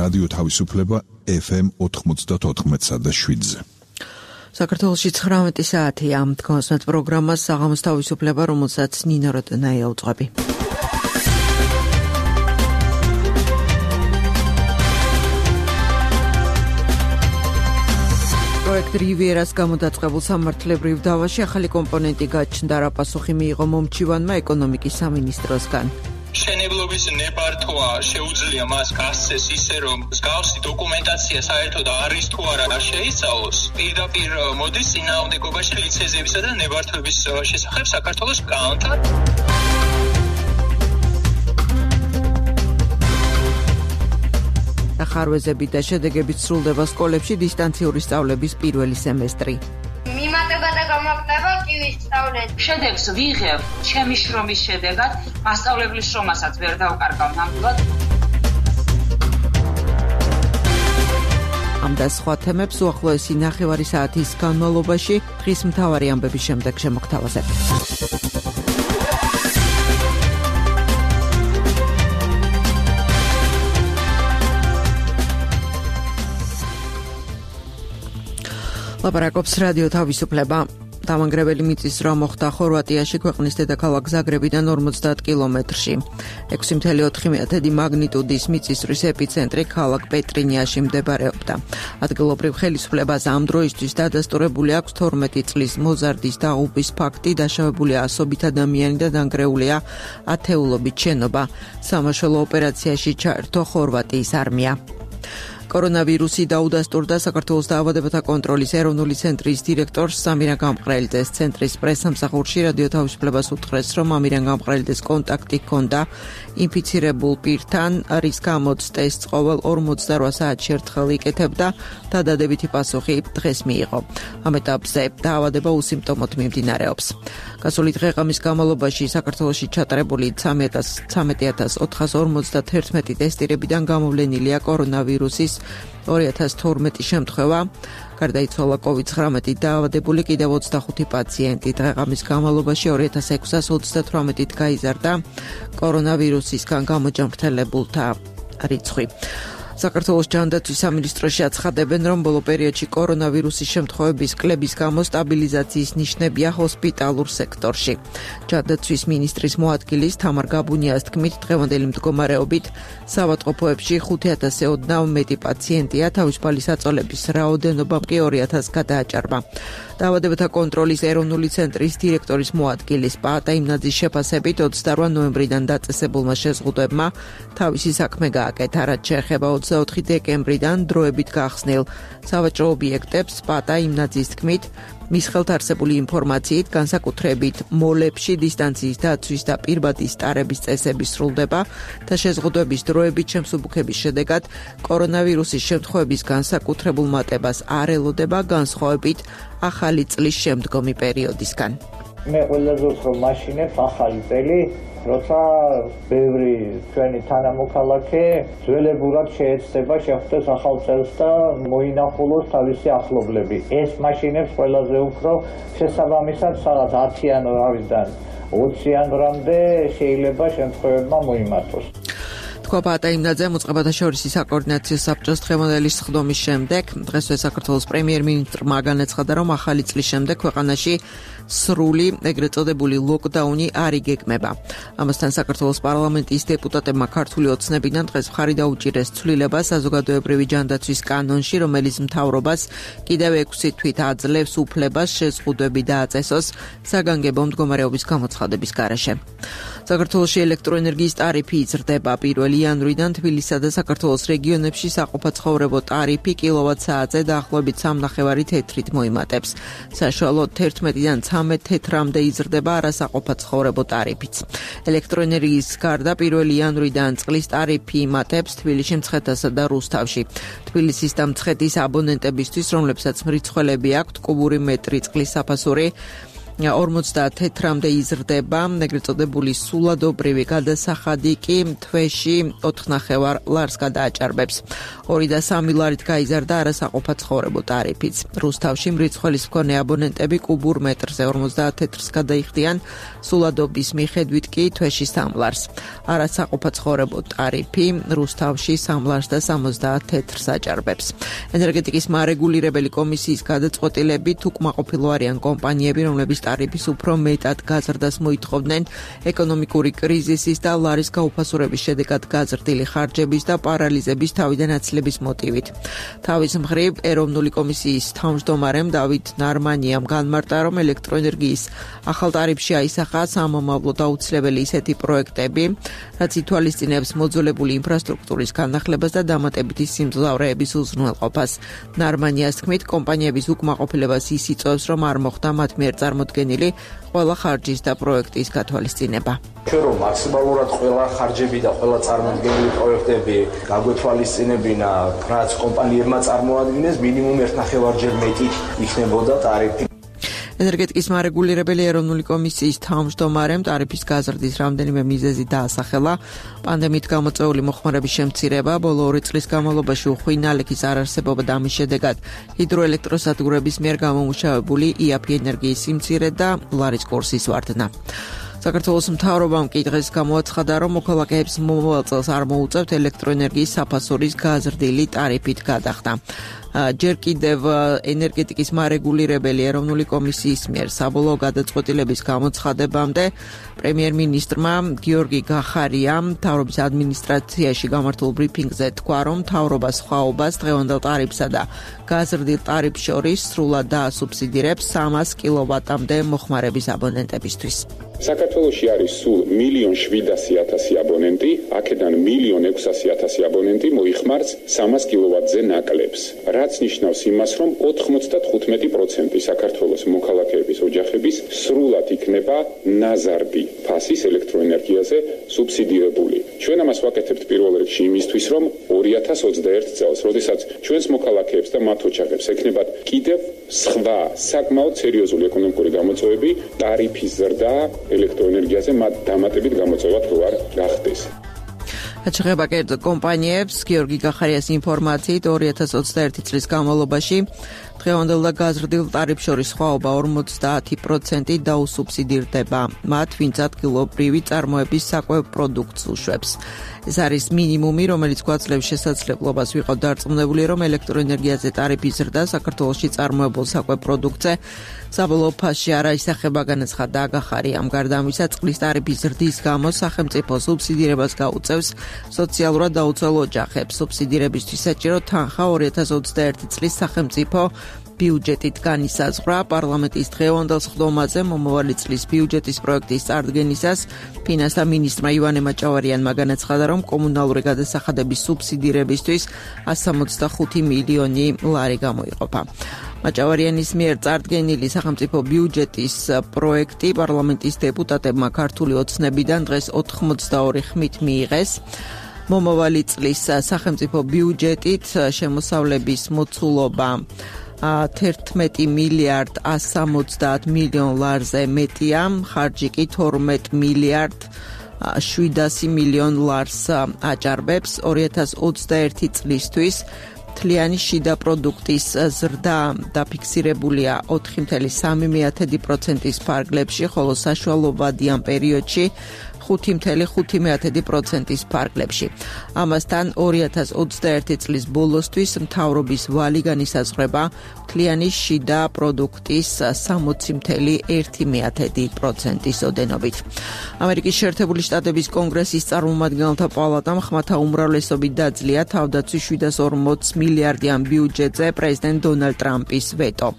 რადიო თავისუფლება FM 94.7-ზე. საქართველოში 19 საათია. თქვენს პროგრამას საღამოს თავისუფლება, რომელსაც ნინო როტენაია უძღვები. პროექტ რივიერას გამოდაწყებულ სამართლებრივ დავაში ახალი კომპონენტი გაჩნდა, რა პასუხი მიიღო მომჩივანმა ეკონომიკის სამინისტროსგან. მშენებლობის ნებართვა შეუძლია მას გასცეს ისე, რომ მსგავსი დოკუმენტაცია საერთოდ არის თუ არა შეიცვალოს. პირდაპირ მოდის წინააღმდეგობაში ლიცენზიებისა და ნებართვების შესახებ საქართველოს კანონთან. ახარვეზებით და შედეგებით სრულდება სკოლებში დისტანციური სწავლების პირველი სემესტრი. მიმატება და გამაგდება კივის სწავლეთ. შედეგს ვიღებ ჩემი შრომის შედეგად, მასწავლებლის შრომასაც ვერ დავკარგავ ნამდვილად. ამ და სხვა თემებს უახლოესი ნახევარი საათის განმავლობაში დღის მთავარი ამბების შემდეგ შემოგთავაზებ. ლაპარაკობს რადიო თავისუფლება. დამანგრეველი მიწის ზრვა მოხდა ხორვატიაში, ქვეყნის დედაქალაქ ზაგრებიდან 50 კილომეტრში. 6.4 მაგნიტუდის მიწის ზრვის ეპიცენტრი ქალაქ პეტრინიაში მდებარეობდა. ადგილობრივ ხელისუფლებას ამ დროისთვის დადასტურებული აქვს 12 წლის მოზარდის დაღუპვის ფაქტი, დაშავებულია ასობით ადამიანი და დანგრეულია ათეულობით შენობა. სამაშველო ოპერაციაში ჩაერთო ხორვატიის არმია. კორონავირუსი დაუდასტურდა საქართველოს დაავადებათა კონტროლის ეროვნული ცენტრის დირექტორს სამირან გამყრელიძეს. ცენტრის პრესსამსახურში რადიო თავისუფლებას უთხრეს, რომ ამირან გამყრელიძეს კონტაქტი ჰქონდა ინფიცირებულ პირთან, რის გამოც ტესტს ყოველ 48 საათში ერთხელ იკეთებდა და დადებითი პასუხი დღეს მიიღო. ამ ეტაპზე დაავადება უსიმპტომოდ მიმდინარეობს. გასული დღე-ღამის განმავლობაში საქართველოში ჩატარებული 13.451 ტესტირებიდან გამოვლენილია კორონავირუსის 2012 შემთხვევა. გარდაიცვალა COVID-19 დაავადებული კიდევ 25 პაციენტი. დღე-ღამის განმავლობაში 2638-ით გაიზარდა კორონავირუსისგან გამოჯანმრთელებულთა რიცხვი. საქართველოს ჯანდაცვის სამინისტროში აცხადებენ, რომ ბოლო პერიოდში კორონავირუსის შემთხვევების კლების გამო სტაბილიზაციის ნიშნებია ჰოსპიტალურ სექტორში. ჯანდაცვის მინისტრის მოადგილის თამარ გაბუნიას თქმით, დღევანდელი მდგომარეობით საავადმყოფოებში 5000-ზე ოდნავ მეტი პაციენტია, თავისუფალი საწოლების რაოდენობამ კი 2000 გადააჭარბა. დაავადებათა კონტროლის ეროვნული ცენტრის დირექტორის მოადგილის პაატა იმნაძის შეფასებით 28 ნოემბრიდან დაწესებულმა შეზღუდვებმა თავისი საქმე გააკეთა, რაც შეეხება 24 დეკემბრიდან დროებით გახსნილ სავაჭრო ობიექტებს. პაატა იმნაძის თქმით, მის ხელთ არსებული ინფორმაციით, განსაკუთრებით მოლებში დისტანციის დაცვის და პირბადი სტარების წესები სრულდება და შეზღუდვების დროებით შემსუბუქების შედეგად კორონავირუსის შემთხვევების განსაკუთრებულ მატებას არ ელოდება, განსხვავებით ახალი წლის შემდგომი პერიოდისგან. მე ყველაზე უფრო მაშინებს ახალი წელი, როცა ბევრი ჩვენი თანამოქალაქე ძველებურად შეეცდება შეხვდეს ახალ წელს და მოინახულოს თავისი ახლობლები. ეს მაშინებს ყველაზე უფრო შესაბამისად სადაც 10 იანვრიდან 20 იანვრამდე შეიძლება შემთხვევებმა მოიმართოს. პაატა იმნაძე მოწყობათა შორისი საკოორდინაციო საბჭოს დღევანდელი სხდომის შემდეგ დღესვე საქართველოს პრემიერ-მინისტრმა განაცხადა, რომ ახალი წლის შემდეგ ქვეყანაში სრული ეგრეთ წოდებული ლოკდაუნი არ იგეგმება. ამასთან საქართველოს პარლამენტის დეპუტატებმა ქართული ოცნებიდან დღეს მხარი დაუჭირეს ცვლილებას საზოგადოებრივი ჯანდაცვის კანონში, რომელიც მთავრობას კიდევ 6 თვით აძლევს უფლებას შეზღუდვები დააწესოს საგანგებო მდგომარეობის გამოცხადების გარეშე. საქართველოში ელექტროენერგიის ტარიფი იზრდება. 1 იანვრიდან თბილისსა და საქართველოს რეგიონებში საყოფაცხოვრებო ტარიფი კილოვატ-საათზე დაახლოებით 3.5 თეთრით მოიმატებს. საშუალოდ 11-დან 13 თეთრამდე იზრდება არასაყოფაცხოვრებო ტარიფიც. ელექტროენერგიის გარდა 1 იანვრიდან წყლის ტარიფი იმატებს თბილისში, მცხეთასა და რუსთავში. თბილისის და მცხეთის აბონენტებისთვის, რომლებსაც მრიცხველები აქვთ კუბური მეტრი წყლის საფასური 54-მდე იზრდება, ეგრეთ წოდებული სულადობრივი გადასახადი კი თვეში 4.5 ლარს გადააჭარბებს. 2 და 3 ლარით გაიზარდა არასაყოფა ცხოვრებო ტარიფიც. რუსთავში მრიცხველის მქონე აბონენტები კუბურ მეტრზე 50 თეთრს გადაიხდიან, სულადობის მიხედვით კი თვეში 3 ლარს. არასაყოფა ცხოვრებო ტარიფი რუსთავში 3 ლარს და 70 თეთრს აჭარბებს. ენერგეტიკის მარეგულირებელი კომისიის გადაწყვეტილებით უკმაყოფილო არიან კომპანიები, რომლებიც ტარიფის უფრო მეტად გაზრდას მოითხოვდნენ ეკონომიკური კრიზისის და ლარის გაუფასურების შედეგად გაზრდილი ხარჯების და პარალიზების თავიდან აცლების მოტივით. თავის მხრივ ეროვნული კომისიის თავმჯდომარემ დავით ნარმანიამ განმარტა, რომ ელექტროენერგიის ახალ ტარიფში აისახა სამომავლოდ აუცილებელი ისეთი პროექტები, რაც ითვალისწინებს მოძველებული ინფრასტრუქტურის განახლებას და დამატებითი სიმძლავრეების უზრუნველყოფას. ნარმანიას თქმით, კომპანიების უკმაყოფილებას ის იწვევს, რომ არ მოხდა მათ მიერ წარმოდგენილი ყველა ხარჯის და პროექტის გათვალისწინება. ჩვენ რომ მაქსიმალურად ყველა ხარჯები და ყველა წარმოდგენილი პროექტები გაგვეთვალისწინებინა, რაც კომპანიებმა წარმოადგენს, მინიმუმ 1.5-ჯერ მეტი იქნებოდა ტარიფი. ენერგეტიკის მარეგულირებელი ეროვნული კომისიის თავმჯდომარემ ტარიფის გაზრდის რამდენიმე მიზეზი დაასახელა. პანდემიით გამოწვეული მოხმარების შემცირება, ბოლო 2 წლის განმავლობაში უხვი ნალექის არარსებობა და ამის შედეგად ჰიდროელექტროსადგურების მიერ გამომუშავებული იაფი ენერგიის სიმცირე და ლარის კურსის ვარდნა. საქართველოს მთავრობამ კი დღეს გამოაცხადა, რომ მოქალაქეებს მომავალ წელს არ მოუწევთ ელექტროენერგიის საფასურის გაზრდილი ტარიფით გადახდა. ჯერ კიდევ ენერგეტიკის მარეგულირებელი ეროვნული კომისიის მიერ საბოლოო გადაწყვეტილების გამოცხადებამდე პრემიერ-მინისტრმა გიორგი გახარიამ მთავრობის ადმინისტრაციაში გამართულ ბრიფინგზე თქვა, რომ მთავრობა სხვაობას დღევანდელ ტარიფსა და გაზრდილ ტარიფს შორის სრულად დაასუბსიდირებს 300 კილოვატამდე მოხმარების აბონენტებისთვის. საქართველოში არის სულ 1,700,000 აბონენტი, აქედან 1,600,000 აბონენტი მოიხმარს 300 კილოვატზე ნაკლებს. რაც ნიშნავს იმას, რომ 95% საქართველოს მოქალაქეების ოჯახების სრულად იქნება ნაზარდი ფასის ელექტროენერგიაზე სუბსიდირებული. ჩვენ ამას ვაკეთებთ პირველ რიგში იმისთვის, რომ 2021 წელს, როდესაც ჩვენს მოქალაქეებს და მათ ოჯახებს ექნებათ კიდევ სხვა საკმაოდ სერიოზული ეკონომიკური გამოწვევები, ტარიფის ზრდა ელექტროენერგიაზე მათ დამატებით გამოწვევა თუ არ გახდეს. აჩაღება კერძო კომპანიებს გიორგი გახარიას ინფორმაციით 2021 წლის განმავლობაში დღევანდელ და გაზრდილ ტარიფს შორის სხვაობა 50% დაუსუბსიდირდება მათ, ვინც ადგილობრივი წარმოების საკვებ პროდუქტს უშვებს. ეს არის მინიმუმი, რომელიც გვაძლევს შესაძლებლობას ვიყავ დარწმუნებული, რომ ელექტროენერგიაზე ტარიფის ზრდა საქართველოში წარმოებულ საკვებ პროდუქტზე საბოლოო ფასში არ აისახება, განაცხადა გახარიამ. გარდა ამისა, წყლის ტარიფის ზრდის გამო სახელმწიფო სუბსიდირებას გაუწევს სოციალურად დაუცველ ოჯახებს. სუბსიდირებისთვის საჭირო თანხა 2021 წლის სახელმწიფო ბიუჯეტით განისაზღვრა. პარლამენტის დღევანდელ სხდომაზე მომავალი წლის ბიუჯეტის პროექტის წარდგენისას ფინანსთა მინისტრმა ივანე მაჭავარიანმა განაცხადა, რომ კომუნალური გადასახადების სუბსიდირებისთვის 165 მილიონი ლარი გამოიყოფა. მაჭავარიანის მიერ წარდგენილი სახელმწიფო ბიუჯეტის პროექტი პარლამენტის დეპუტატებმა ქართული ოცნებიდან დღეს 82 ხმით მიიღეს. მომავალი წლის სახელმწიფო ბიუჯეტით შემოსავლების მოცულობა 11 მილიარდ 170 მილიონ ლარზე მეტია, ხარჯი კი 12 მილიარდ 700 მილიონ ლარს აჭარბებს. 2021 წლისთვის მთლიანი შიდა პროდუქტის ზრდა დაფიქსირებულია 4,3%-ის ფარგლებში, ხოლო საშუალოვადიან პერიოდში 5,5%-ის ფარგლებში. ამასთან 2021 წლის ბოლოსთვის მთავრობის ვალი განისაზღვრება მთლიანი შიდა პროდუქტის 60,1%-ის ოდენობით. ამერიკის შეერთებული შტატების კონგრესის წარმომადგენელთა პალატამ ხმათა უმრავლესობით დაძლია თავდაცვის 740 მილიარდიან ბიუჯეტზე პრეზიდენტ დონალდ ტრამპის ვეტო.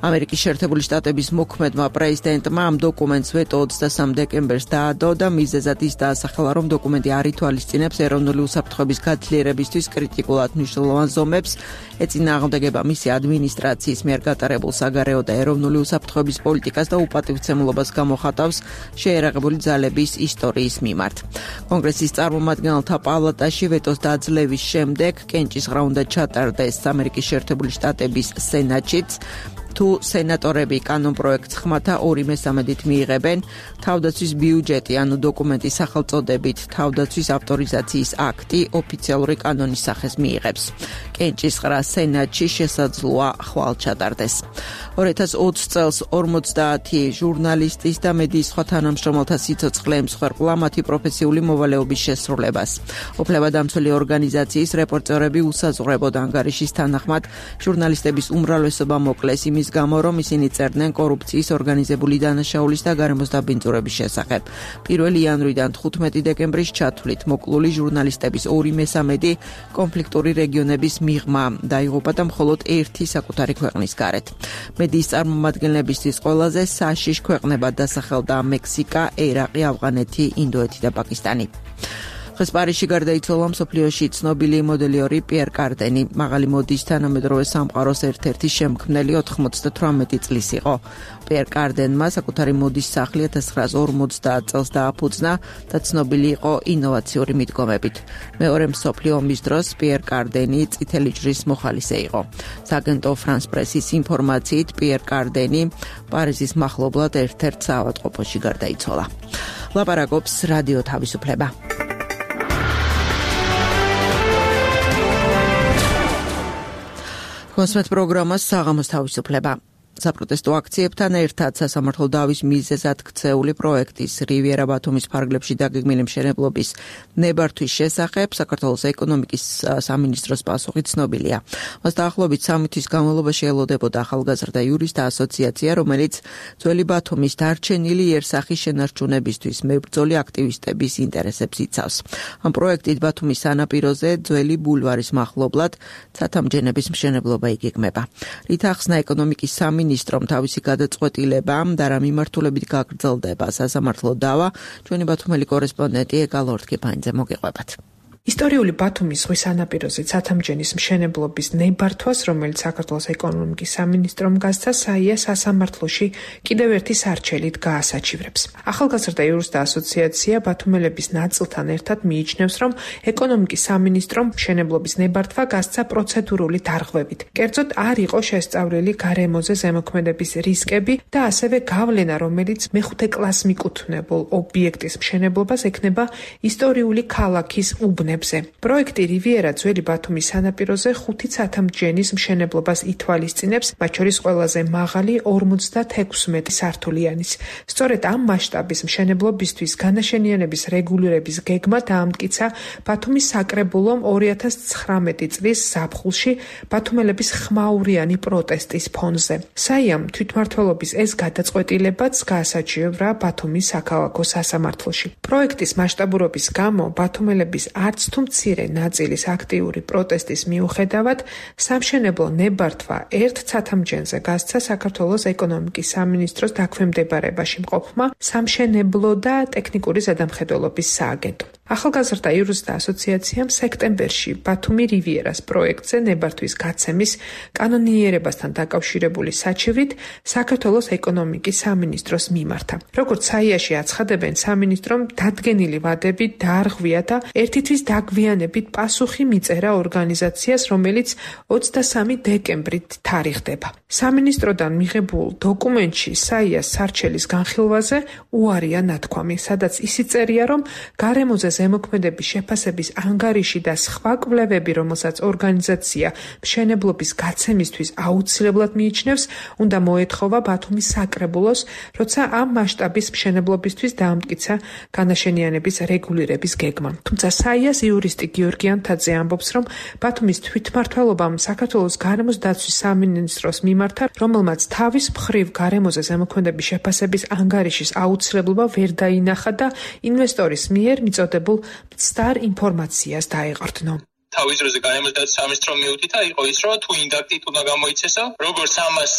ამერიკის შეერთებული შტატების მოქმედმა პრეზიდენტმა ამ დოკუმენტს ვეტო 23 დეკემბერს დაადო და მიზეზად ის დაასახელა, რომ დოკუმენტი არ ითვალისწინებს ეროვნული უსაფრთხოების გაძლიერებისთვის კრიტიკულად მნიშვნელოვან ზომებს, ეწინააღმდეგება მისი ადმინისტრაციის მიერ გატარებულ საგარეო და ეროვნული უსაფრთხოების პოლიტიკას და უპატივცემულობას გამოხატავს შეერაღებული ძალების ისტორიის მიმართ. კონგრესის წარმომადგენელთა პალატაში ვეტოს დაძლევის შემდეგ კენჭისყრა უნდა ჩატარდეს ამერიკის შეერთებული შტატების სენატშიც. თუ სენატორები კანონპროექტს ხმათა 2/3-ით მიიღებენ, თავდაცვის ბიუჯეტი, ანუ დოკუმენტის სახელწოდებით თავდაცვის ავტორიზაციის აქტი ოფიციალური კანონის სახეს მიიღებს. კენჭისყრა სენატში შესაძლოა ხვალ ჩატარდეს. 2020 წელს 50 ჟურნალისტის და მედიის სხვა თანამშრომელთა სიცოცხლე ემსხვერპლა მათი პროფესიული მოვალეობის შესრულებას. უფლებადამცველი ორგანიზაციის რეპორტერები უსაზღვრებოდ ანგარიშის თანახმად ჟურნალისტების უმრავლესობა მოკლეს იმის გამო, რომ ისინი წერდნენ კორუფციის, ორგანიზებული დანაშაულის და გარემოს დაბინძურების შესახებ. 1 იანვრიდან 15 დეკემბრის ჩათვლით მოკლული ჟურნალისტების 2/3 კონფლიქტური რეგიონების მიღმა დაიღუპა და მხოლოდ ერთი საკუთარი ქვეყნის გარეთ. მედიის წარმომადგენლებისთვის ყველაზე საშიშ ქვეყნებად დასახელდა მექსიკა, ერაყი, ავღანეთი, ინდოეთი და პაკისტანი. დღეს პარიზში გარდაიცვალა მსოფლიოში ცნობილი მოდელიორი პიერ კარდენი. მაღალი მოდის თანამედროვე სამყაროს ერთ-ერთი შემქმნელი 98 წლის იყო. პიერ კარდენმა საკუთარი მოდის სახლი 1950 წელს დააფუძნა და ცნობილი იყო ინოვაციური მიდგომებით. მეორე მსოფლიო ომის დროს პიერ კარდენი წითელი ჯვრის მოხალისე იყო. სააგენტო ფრანს პრესის ინფორმაციით პიერ კარდენი პარიზის მახლობლად ერთ-ერთ საავადმყოფოში გარდაიცვალა. ლაპარაკობს რადიო თავისუფლება. კონსმეთ პროგრამას საღამოს თავისუფლება. საპროტესტო აქციებთან ერთად სასამართლო დავის მიზეზად ქცეული პროექტის რივიერა ბათუმის ფარგლებში დაგეგმილი მშენებლობის ნებართვის შესახებ საქართველოს ეკონომიკის სამინისტროს პასუხი ცნობილია. მას დაახლოებით 3 თვის განმავლობაში ელოდებოდა ახალგაზრდა იურისტთა ასოციაცია, რომელიც ძველი ბათუმის დარჩენილი იერსახის შენარჩუნებისთვის მებრძოლი აქტივისტების ინტერესებს იცავს. ამ პროექტით ბათუმის სანაპიროზე ძველი ბულვარის მახლობლად ცათამბჯენების მშენებლობა იგეგმება. რით ახსნა ეკონომიკის სამინისტრომ თავისი გადაწყვეტილება და რა მიმართულებით გაგრძელდება სასამართლო დავა, ჩვენი ბათუმელი კორესპონდენტი ეგა ლორთქიფანიძე მოგიყვებათ. ისტორიული ბათუმის ზღვის სანაპიროზე ცათამბჯენის მშენებლობის ნებართვას, რომელიც საქართველოს ეკონომიკის სამინისტრომ გასცა, საია სასამართლოში კიდევ ერთი სარჩელით გაასაჩივრებს. ახალგაზრდა იურისტთა ასოციაცია ბათუმელების ნაწილთან ერთად მიიჩნევს, რომ ეკონომიკის სამინისტრომ მშენებლობის ნებართვა გასცა პროცედურული დარღვევით. კერძოდ არ იყო შესწავლილი გარემოზე ზემოქმედების რისკები და ასევე გავლენა, რომელიც მეხუთე კლასს მიკუთვნებულ ობიექტის მშენებლობას ექნება ისტორიული ქალაქის უბნებზე. პროექტი რივიერა ძველი ბათუმის სანაპიროზე 5 ცათამბჯენის მშენებლობას ითვალისწინებს, მათ შორის ყველაზე მაღალი 56 სართულიანის. სწორედ ამ მასშტაბის მშენებლობისთვის განაშენიანების რეგულირების გეგმა დაამტკიცა ბათუმის საკრებულომ 2019 წლის ზაფხულში ბათუმელების ხმაურიანი პროტესტის ფონზე. საიამ თვითმმართველობის ეს გადაწყვეტილებაც გაასაჩივრა ბათუმის საქალაქო სასამართლოში. პროექტის მასშტაბურობის გამო ბათუმელების არც თუ მცირე ნაწილის აქტიური პროტესტის მიუხედავად სამშენებლო ნებართვა ერთ ცათამბჯენზე გასცა საქართველოს ეკონომიკის სამინისტროს დაქვემდებარებაში მყოფმა სამშენებლო და ტექნიკური ზედამხედველობის სააგენტომ. ახალგაზრდა იურისტთა ასოციაციამ სექტემბერში ბათუმი რივიერას პროექტზე ნებართვის გაცემის კანონიერებასთან დაკავშირებული საჩივრით საქართველოს ეკონომიკის სამინისტროს მიმართა. როგორც საიაში აცხადებენ, სამინისტრომ დადგენილი ვადები დაარღვია და ერთი თვის დაგვიანებით პასუხი მიწერა ორგანიზაციას, რომელიც 23 დეკემბრით თარიღდება. სამინისტროდან მიღებულ დოკუმენტში საიას სარჩელის განხილვაზე უარია ნათქვამი, სადაც ისიც წერია, რომ გარემოზე ზემოქმედების შეფასების ანგარიში და სხვა კვლევები, რომელსაც ორგანიზაცია მშენებლობის გაცემისთვის აუცილებლად მიიჩნევს, უნდა მოეთხოვა ბათუმის საკრებულოს, როცა ამ მასშტაბის მშენებლობისთვის დაამტკიცა განაშენიანების რეგულირების გეგმა. თუმცა საიას იურისტი გიორგი ანთაძე ამბობს, რომ ბათუმის თვითმმართველობამ საქართველოს გარემოს დაცვის სამინისტროს მიმართა, რომელმაც თავის მხრივ გარემოზე ზემოქმედების შეფასების ანგარიშის აუცილებლობა ვერ დაინახა და ინვესტორის მიერ მიწოდებულ მცდარ ინფორმაციას დაეყრდნო. თავის დროზე გარემოს დაცვის სამინისტრომ მიუთითა იყო ის, რომ თუ ინდაქტით უნდა გამოიცესო, როგორც ამას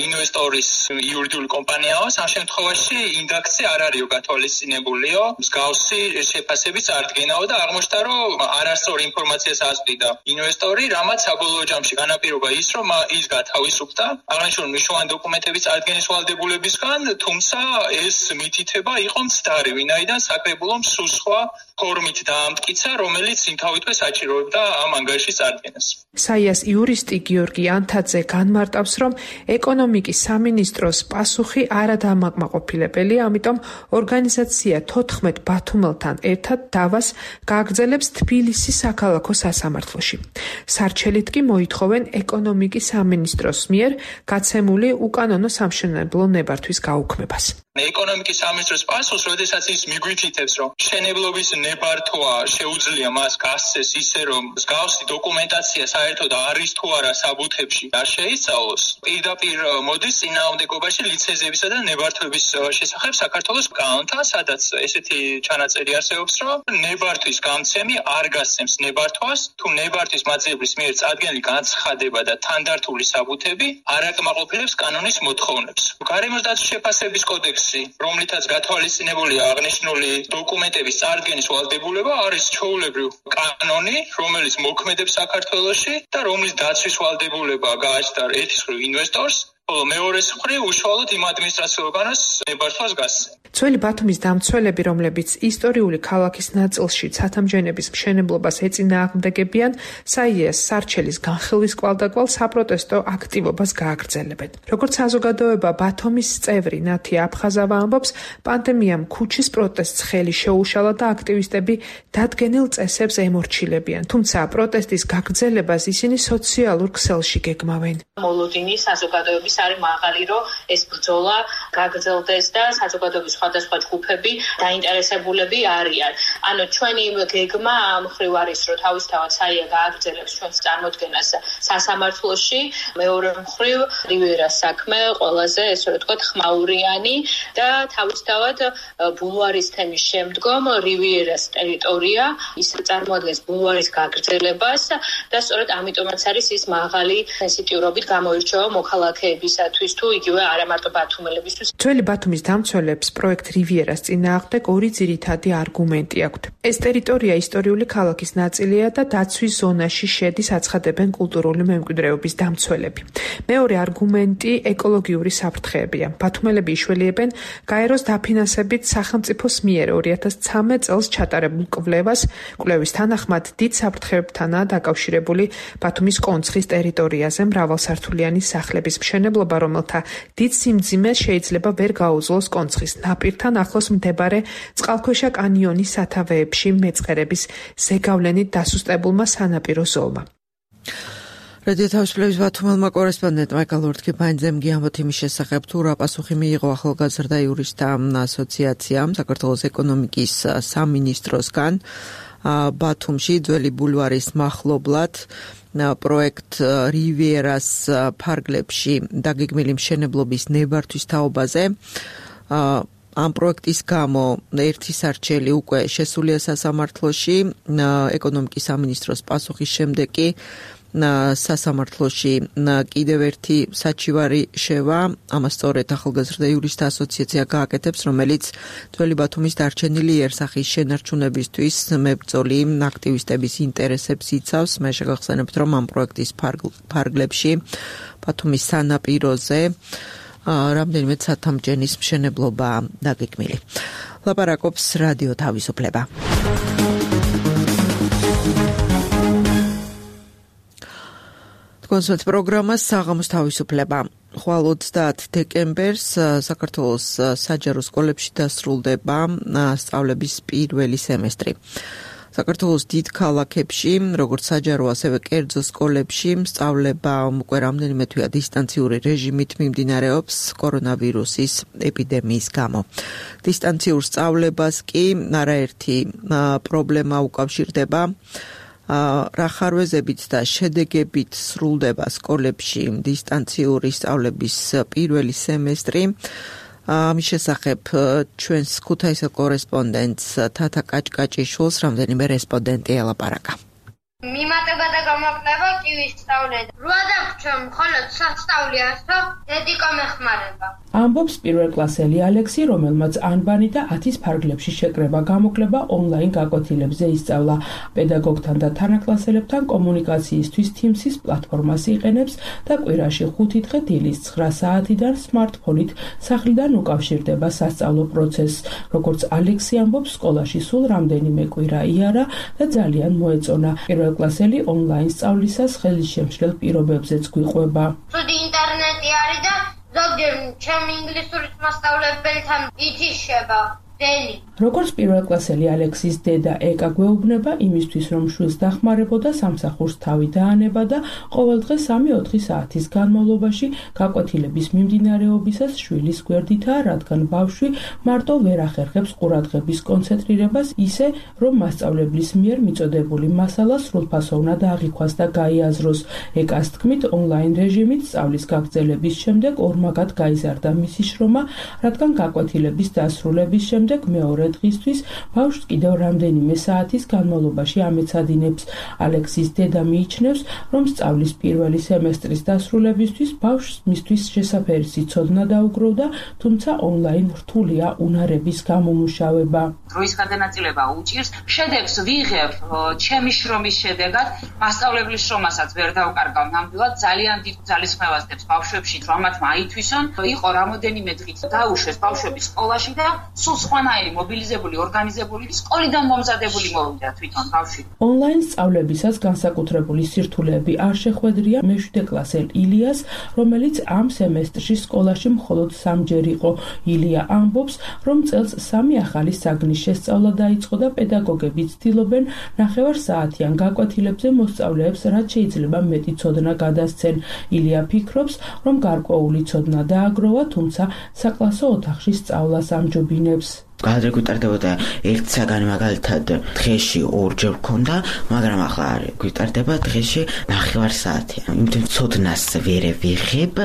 ინვესტორის იურიდიული კომპანიაო, ამ შემთხვევაში ინდაქცია არ არისო გათვალისწინებულიო, მსგავსი შეფასების წარდგენაო და აღმოჩნდა, რომ არასწორი ინფორმაციას ასწვიდა ინვესტორი, რამაც საბოლოო ჯამში განაპირობა ის, რომ ის გათავისუფლდა აღნიშნული მნიშვნელოვანი დოკუმენტების წარდგენის ვალდებულებისგან, თუმცა ეს მითითება იყო მცდარი, ვინაიდან საკრებულომ სულ სხვა ფორმით დაამტკიცა, რომელიც იმთავითვე საჭიროებდა ამ ანგარიშის წარდგენას. საიას იურისტი გიორგი ანთაძე განმარტავს, რომ ეკონომიკის სამინისტროს პასუხი არადამაკმაყოფილებელია, ამიტომ ორგანიზაცია 14 ბათუმელთან ერთად დავას გააგრძელებს თბილისის საქალაქო სასამართლოში. სარჩელით კი მოითხოვენ ეკონომიკის სამინისტროს მიერ გაცემული უკანონო სამშენებლო ნებართვის გაუქმებას. ეკონომიკის სამინისტროს პასუხს, როდესაც ის მიგვითითებს, რომ მშენებლობის ნებართვა შეუძლია მას გასცეს ისე, რომ მსგავსი დოკუმენტაცია საერთოდ არის თუ არა საბუთებში არ შეიცვალოს, პირდაპირ მოდის წინააღმდეგობაში ლიცენზიებისა და ნებართვების შესახებ საქართველოს კანონთან, სადაც ესეთი ჩანაწერი არსებობს, რომ ნებართვის გამცემი არ გასცემს ნებართვას, თუ ნებართვის მაძიებლის მიერ წარდგენილი განცხადება და თანდართული საბუთები არ აკმაყოფილებს კანონის მოთხოვნებს. გარემოსდაცვის შეფასების კოდექსი, რომლითაც გათვალისწინებულია აღნიშნული დოკუმენტების წარდგენის ვალდებულება, არის ჩვეულებრივ კანონი, რომელიც მოქმედებს საქართველოში და რომლის დაცვის ვალდებულება გააჩნდა ერთის მხრივ ინვესტორს, ხოლო მეორეს მხრივ უშუალოდ იმ ადმინისტრაციულ ორგანოს ნებართვას გასცემს. ძველი ბათუმის დამცველები, რომლებიც ისტორიული ქალაქის ნაწილში ცათამბჯენების მშენებლობას ეწინააღმდეგებიან, საიას სარჩელის განხილვის კვალდაკვალ საპროტესტო აქტივობას გააგრძელებენ. როგორც საზოგადოება ბათუმის წევრი ნათია აფხაზავა ამბობს, პანდემიამ ქუჩის პროტესტს ხელი შეუშალა და აქტივისტები დადგენილ წესებს ემორჩილებიან, თუმცა პროტესტის გაგრძელებას ისინი სოციალურ ქსელში გეგმავენ. მოლოდინი საზოგადოების არის მაღალი, რომ ეს ბრძოლა გაგრძელდეს და საზოგადოების სხვადასხვა ჯგუფები დაინტერესებულები არიან. ანუ ჩვენი გეგმა ამ მხრივ არის, რომ თავისთავად საია გააგრძელებს ჩვენს წარმოდგენას სასამართლოში, მეორე მხრივ რივიერას საქმე ყველაზე, ესე ვთქვათ, ხმაურიანი და თავისთავად ბულვარის თემის შემდგომ რივიერას ტერიტორია ის წარმოადგენს ბულვარის გაგრძელებას და სწორედ ამიტომაც არის ის მაღალი სენსიტიურობით გამოირჩევა მოქალაქეებისათვის თუ იგივე არა მარტო ბათუმელებისთვის. ძველი ბათუმის დამცველებს პროექტ რივიერას წინააღმდეგ ორი ძირითადი არგუმენტი აქვთ. ეს ტერიტორია ისტორიული ქალაქის ნაწილია და დაცვის ზონაში შედის, აცხადებენ კულტურული მემკვიდრეობის დამცველები. მეორე არგუმენტი ეკოლოგიური საფრთხეებია. ბათუმელები იშველიებენ გაეროს დაფინანსებით სახელმწიფოს მიერ 2013 წელს ჩატარებულ კვლევას. კვლევის თანახმად დიდ საფრთხეებთანაა დაკავშირებული ბათუმის კონცხის ტერიტორიაზე მრავალსართულიანი სახლების მშენებლობა, რომელთა დიდ სიმძიმეს შეიძლება ვერ გაუძლოს კონცხის ნაპირთან ახლოს მდებარე წყალქვეშა კანიონის სათავეებში მეწყერების ზეგავლენით დასუსტებულმა სანაპირო ზოლმა. რადიო თავისუფლების ბათუმელმა კორესპონდენტმა გალურთქიფაინძემ გიამბოთ იმის შესახებ, თუ რა პასუხი მიიღო ახალგაზრდა იურისტთა ასოციაციამ საქართველოს ეკონომიკის სამინისტროსგან ბათუმში ძველი ბულვარის მახლობლად პროექტ რივიერას ფარგლებში დაგეგმილი მშენებლობის ნებართვის თაობაზე. ამ პროექტის გამო ერთი სარჩელი უკვე შესულია სასამართლოში, ეკონომიკის სამინისტროს პასუხის შემდეგ კი სასამართლოში კიდევ ერთი საჩივარი შევა, ამას სწორედ ახალგაზრდა იურისტთა ასოციაცია გააკეთებს, რომელიც ძველი ბათუმის დარჩენილი იერსახის შენარჩუნებისთვის მებრძოლი აქტივისტების ინტერესებს იცავს. მე შეგახსენებთ, რომ ამ პროექტის ფარგლებში ბათუმის სანაპიროზე რამდენიმე ცათამბჯენის მშენებლობა დაგეგმილი. ლაპარაკობს რადიო თავისუფლება. კონსულტ პროგრამა საღამოს თავისუფლება. ხვალ 30 დეკემბერს საქართველოს საჯარო სკოლებში დასრულდება სწავლების პირველი სემესტრი. საქართველოს დიდ ქალაქებში, როგორც საჯარო, ასევე კერძო სკოლებში სწავლება უკვე რამდენიმე თვეა დისტანციური რეჟიმით მიმდინარეობს კორონავირუსის ეპიდემიის გამო. დისტანციურ სწავლებას კი არაერთი პრობლემა უკავშირდება. რა ხარვეზებით და შედეგებით სრულდება სკოლებში დისტანციური სწავლების პირველი სემესტრი. ამის შესახებ ჩვენს ქუთაისელ კორესპონდენტს თათა კაჭკაჭიშვილს რამდენიმე რესპონდენტი ელაპარაკა. მიმატება და გამოკვლევა კი ვისწავლეთ. რა დაგვრჩა, მხოლოდ სასწავლი ასო, ედიკა მეხმარება. ამბობს პირველკლასელი ალექსი, რომელმაც ანბანი და 10-ის ფარგლებში შეკრება გამოკლება ონლაინ გაკვეთილებზე ისწავლა. პედაგოგთან და თანაკლასელებთან კომუნიკაციისთვის Teams-ის პლატფორმას იყენებს და კვირაში 5 დღე დილის 9 საათიდან სმარტფონით სახლიდან უკავშირდება სასწავლო პროცესს. როგორც ალექსი ამბობს, სკოლაში სულ რამდენიმე კვირა იარა და ძალიან მოეწონა. პირველკლასელი ონლაინ სწავლისას ხელისშემშლელ პირობებზეც გვიყვება. ცუდი ინტერნეტი არის და ზოგჯერ ჩემი ინგლისურის მასწავლებელთან ითიშება. როგორც პირველკლასელი ალექსის დედა ეკა გვეუბნება იმისთვის, რომ შვილს დახმარებოდა, სამსახურს თავი დაანება და ყოველდღე 3-4 საათის განმავლობაში გაკვეთილების მიმდინარეობისას შვილის გვერდითაა, რადგან ბავშვი მარტო ვერ ახერხებს ყურადღების კონცენტრირებას ისე, რომ მასწავლებლის მიერ მიწოდებული მასალა სრულფასოვნად აღიქვას და გაიაზროს. ეკას თქმით, ონლაინ რეჟიმით სწავლის გაგრძელების შემდეგ ორმაგად გაიზარდა მისი შრომა, რადგან გაკვეთილების დასრულების შემდეგ მეორე დღისთვის ბავშვს კიდევ რამდენიმე საათის განმავლობაში ამეცადინებს. ალექსის დედა მიიჩნევს, რომ სწავლის პირველი სემესტრის დასრულებისთვის ბავშვს მისთვის შესაფერისი ცოდნა დაუგროვდა, თუმცა ონლაინ რთულია უნარების გამომუშავება. დროის გადანაწილება უჭირს, შედეგს ვიღებ ჩემი შრომის შედეგად, მასწავლებლის შრომასაც ვერ დავკარგავ ნამდვილად, ძალიან დიდ ძალისხმევას დებს ბავშვებში, რომ მათმა აითვისონ, იყო რამოდენიმე დღით დაუშვეს ბავშვები სკოლაში და სულ სხვანაირი მობილიზებული, ორგანიზებული, სკოლიდან მომზადებული მოვიდა თვითონ ბავშვი. ონლაინ სწავლებისას განსაკუთრებული სირთულეები არ შეხვედრია მე-7 კლასელ ილიას, რომელიც ამ სემესტრში სკოლაში მხოლოდ 3-ჯერ იყო. ილია ამბობს, რომ წელს 3 ახალი საგნის შესწავლა დაიწყო და პედაგოგები ცდილობენ 9 საათიან გაკვეთილებზე მოსწავლეებს რაც შეიძლება მეტი ცოდნა გადასცენ. ილია ფიქრობს, რომ გარკვეული ცოდნა დააგროვა, თუმცა საკლასო ოთახში სწავლას ამჯობინებს. გადაგ გვიტარდებოდა 1 საგანი მაგალითად დღეში 2-ჯერ გქონდა, მაგრამ ახლა არ გვიტარდება დღეში 9 საათი. იმიტომ ცოდნას ვერ ვიღებ,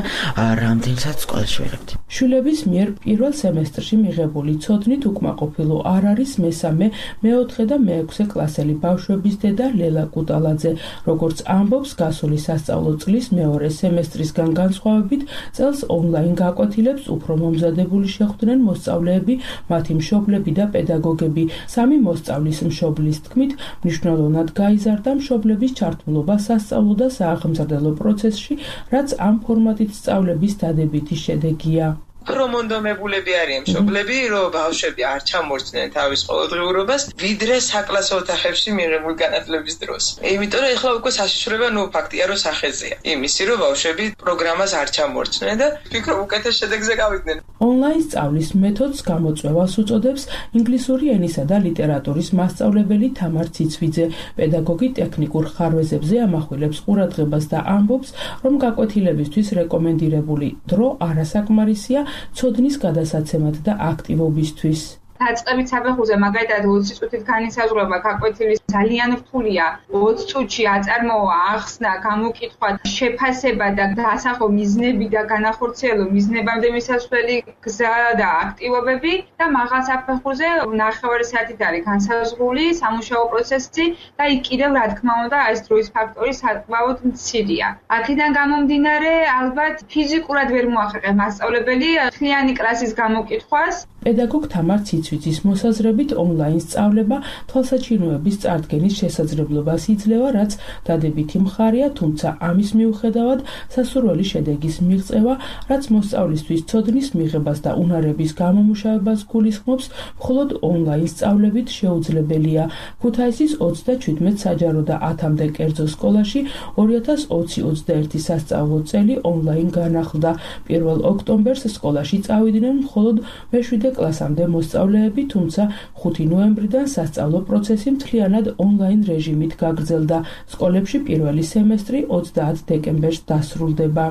რამდენსაც სკოლაში ვიღებთ. შვილების მიერ პირველ სემესტრში მიღებული ცოდნით უკმაყოფილო არ არის მესამე, მე-4 და მე-6 კლასელი ბავშვების დედა ლელა კუტალაძე. როგორც ამბობს, გასული სასწავლო წლის მეორე სემესტრისგან განსხვავებით, წელს ონლაინ გაკვეთილებს უფრო მომზადებული შეხვდნენ მოსწავლეები, მათი მშობლები და პედაგოგები. 3 მოსწავლის მშობლის თქმით, მნიშვნელოვნად გაიზარდა მშობლების ჩართულობა სასწავლო და სააღმზრდელო პროცესში, რაც ამ ფორმატით სწავლების დადებითი შედეგია. პრომონდომებულები არიან მშობლები, რომ ბავშვები არ ჩამორჩნენ თავის ყოველდღიურობას, ვიდრე საკლასო ოთახებში მიღებული განათლების დროს. იმიტომ რომ ეხლა უკვე საშიშრება ფაქტია, რომ სახეზეა. იმისი, რომ ბავშვები პროგრამას არ ჩამორჩნენ და ვფიქრობ უკეთეს შედეგზე გავიდნენ. ონლაინ სწავლის მეთოდს გამოწვევას უწოდებს ინგლისური ენისა და ლიტერატურის მასწავლებელი თამარ ციცვიძე. პედაგოგი ტექნიკურ ხარვეზებზე ამახვილებს ყურადღებას და ამბობს, რომ გაკვეთილებისთვის რეკომენდირებული დრო არასაკმარისია ცოდნის გადასაცემად და აქტივობისთვის. დაწყებით საფეხურზე მაგალითად 20 წუთით განისაზღვრება გაკვეთილი ძალიან რთულია. 20 წუთში აწარმოა, ახსნა, გამოკითხვა, შეფასება და დასახო მიზნები და განახორციელო მიზნებამდე მისასვლელი გზა და აქტივობები და მაღალ საფეხურზე 9 საათით არის განსაზღვრული სამუშაო პროცესი და იქ კიდევ რა თქმა უნდა ეს დროის ფაქტორი საკმაოდ მცირეა. აქედან გამომდინარე ალბათ ფიზიკურად ვერ მოახერხებს მასწავლებელი მთლიანი კლასის გამოკითხვას. პედაგოგ თამარ ციცვიძის მოსაზრებით ონლაინ სწავლება თვალსაჩინოების წარდგენის შესაძლებლობას იძლევა, რაც დადებითი მხარეა, თუმცა ამის მიუხედავად სასურველი შედეგის მიღწევა, რაც მოსწავლისთვის ცოდნის მიღებას და უნარების გამომუშავებას გულისხმობს, მხოლოდ ონლაინ სწავლებით შეუძლებელია. ქუთაისის 37 საჯარო და 10-მდე კერძო სკოლაში 2020-21 სასწავლო წელი ონლაინ განახლდა. 1 ოქტომბერს სკოლაში წავიდნენ მხოლოდ მე-7 კლასამდე მოსწავლეები, თუმცა 5 ნოემბრიდან სასწავლო პროცესი მთლიანად ონლაინ რეჟიმით გაგრძელდა. სკოლებში პირველი სემესტრი 30 დეკემბერს დასრულდება.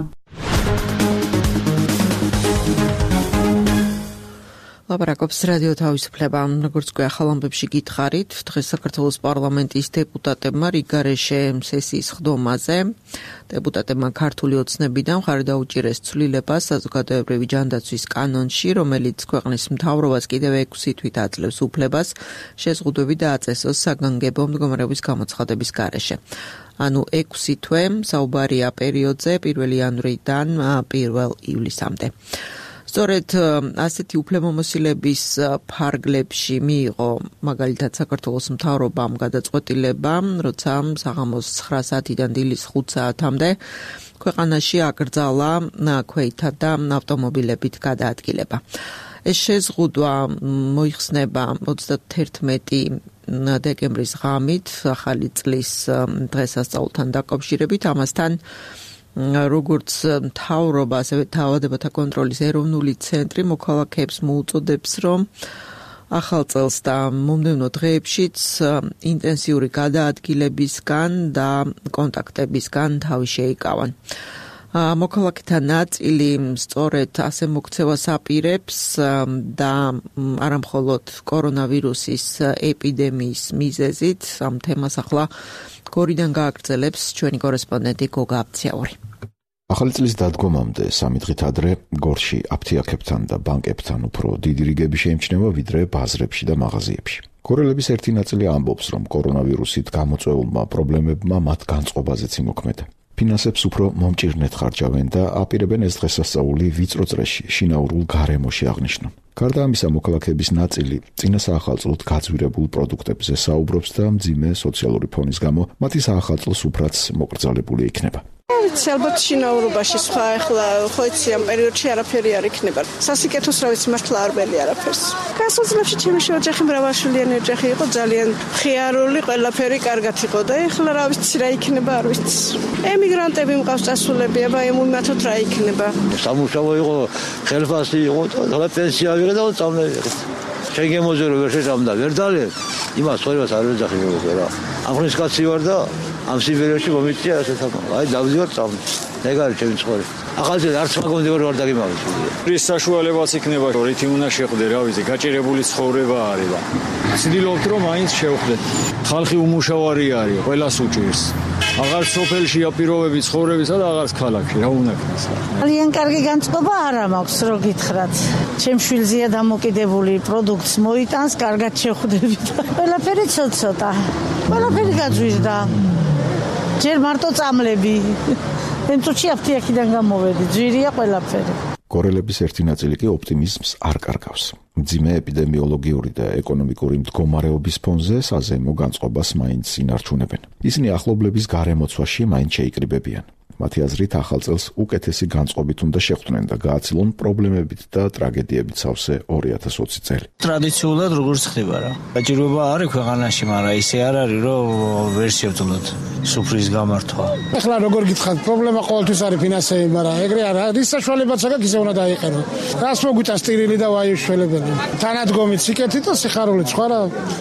ლაპარაკობს რადიო თავისუფლება. როგორც ახალ ამბებში გითხარით, დღეს საქართველოს პარლამენტის დეპუტატებმა რიგარეშე სესიის ხდომაზე დეპუტატებმა ქართული ოცნებიდან მხარი დაუჭირეს ცვლილებას საზოგადოებრივი ჯანდაცვის კანონში, რომელიც ქვეყნის მთავრობას კიდევ 6 თვით აძლევს უფლებას შეზღუდვები დააწესოს საგანგებო მდგომარეობის გამოცხადების გარეშე. ანუ 6 თვე საუბარია პერიოდზე 1 იანვრიდან 1 ივლისამდე. სწორედ ასეთი უფლებამოსილების ფარგლებში მიიღო მაგალითად საქართველოს მთავრობამ გადაწყვეტილება, როცა საღამოს 9 საათიდან დილის 5 საათამდე ქვეყანაში აკრძალა ქვეითა და ავტომობილებით გადაადგილება. ეს შეზღუდვა მოიხსნება 31 დეკემბრის ღამით, ახალი წლის დღესასწაულთან დაკავშირებით. ამასთან როგორც მთავრობა, ასევე დაავადებათა კონტროლის ეროვნული ცენტრი მოქალაქეებს მოუწოდებს, რომ ახალ წელს და მომდევნო დღეებშიც ინტენსიური გადაადგილებისგან და კონტაქტებისგან თავი შეიკავან. მოქალაქეთა ნაწილი სწორედ ასე მოქცევას აპირებს და არამხოლოდ კორონავირუსის ეპიდემიის მიზეზით ამ თემას ახლა გორიდან გააგრძელებს ჩვენი კორესპონდენტი გოგა აბციაური. ახალი წლის დადგომამდე 3 დღით ადრე გორში აფთიაქებთან და ბანკებთან უფრო დიდი რიგები შეიმჩნევა ვიდრე ბაზრებში და მაღაზიებში. გორელების ერთი ნაწილი ამბობს, რომ კორონავირუსით გამოწვეულმა პრობლემებმა მათ განწყობაზეც იმოქმედა. ფინანსებს უფრო მომჭირნეთ ხარჯავენ და აპირებენ ეს დღესასწაული ვიწრო წრეში, შინაურულ გარემოში აღნიშნონ. გარდა ამისა, მოქალაქეების ნაწილი წინა საახალწლოდ გაძვირებულ პროდუქტებზე საუბრობს და მძიმე სოციალური ფონის გამო მათი საახალწლოს უფრაც მოკრძალებული იქნება. ვიცი, ალბათ შინაურობაში სხვა ახლა ხო იცი ამ პერიოდში არაფერი არ იქნება. სასიკეთოს რა ვიცი, მართლა არ მელი არაფერს. გასულ წლებში ჩემი ოჯახი მრავალშვილიანი ოჯახი იყო, ძალიან ხიარული, ყველაფერი კარგად იყო და ეხლა რა ვიცი რა იქნება, არ ვიცი. ემიგრანტები მყავს წასულები, აბა იმათოთ რა იქნება. სამუშაო იყო, ხელფასი იყო, და პენსია ვიღე და წამლები. შეგემოზე რო ვერ შეჭამდა, ვერ დალებ. იმას სწორებას არ ვეძახი მოგე რა. აღნიშნ კაცი ვარ და ამ სიბერიაში მომიწია ესეც ამ. აი დავდივარ წამლ. ეგ არის ჩემი ცხოვრება. ახალწელს არც მაგონდივარ ვარ დაგიმავეს. ის საშუალებაც იქნება, რომ რითი უნდა შეხვდე, რა ვიცი, გაჭირებული ცხოვრება არის და ცდილობთ რომ მაინც შევხვდეთ. ხალხი უმუშავარი არის, ყველას უჭირს. აღარ სოფელშია პირობები ცხოვრებისა და აღარც ქალაქში, რა უნდა ქნას. ძალიან კარგი განწყობა არა მაქვს, რო გითხრათ. ჩემ შვილზეა დამოკიდებული, პროდუქტს მოიტანს, კარგად შეხვდებით. ყველაფერი ცოტა. ყველაფერი გაძვირდა. ჯერ მარტო წამლები. ენწუთში აფთიაქიდან გამოვედი, ძვირია ყველაფერი. გორელების ერთი ნაწილი კი ოპტიმიზმს არ კარგავს. მძიმე ეპიდემიოლოგიური და ეკონომიკური მდგომარეობის ფონზე საზეიმო განწყობას მაინც ინარჩუნებენ. ისინი ახლობლების გარემოცვაში მაინც შეიკრიბებიან. მათი აზრით ახალ წელს უკეთესი განწყობით უნდა შეხვდნენ და გააცილონ პრობლემებით და ტრაგედიებით სავსე 2020 წელი. ტრადიციულად როგორც ხდება რა. გაჭირვება არის ქვეყანაში, მაგრამ ისე არ არის, რომ ვერ შევძლოთ სუფრის გამართვა. ეხლა როგორ გითხართ, პრობლემა ყოველთვის არის ფინანსები, მაგრამ ეგრე არა, რის საშუალებაც აქვს ისე უნდა დაიყენო. რას მოგვიწა სტირილი და ვაიუშველებელი. თანადგომით სიკეთით და სიხარულით, სხვა რა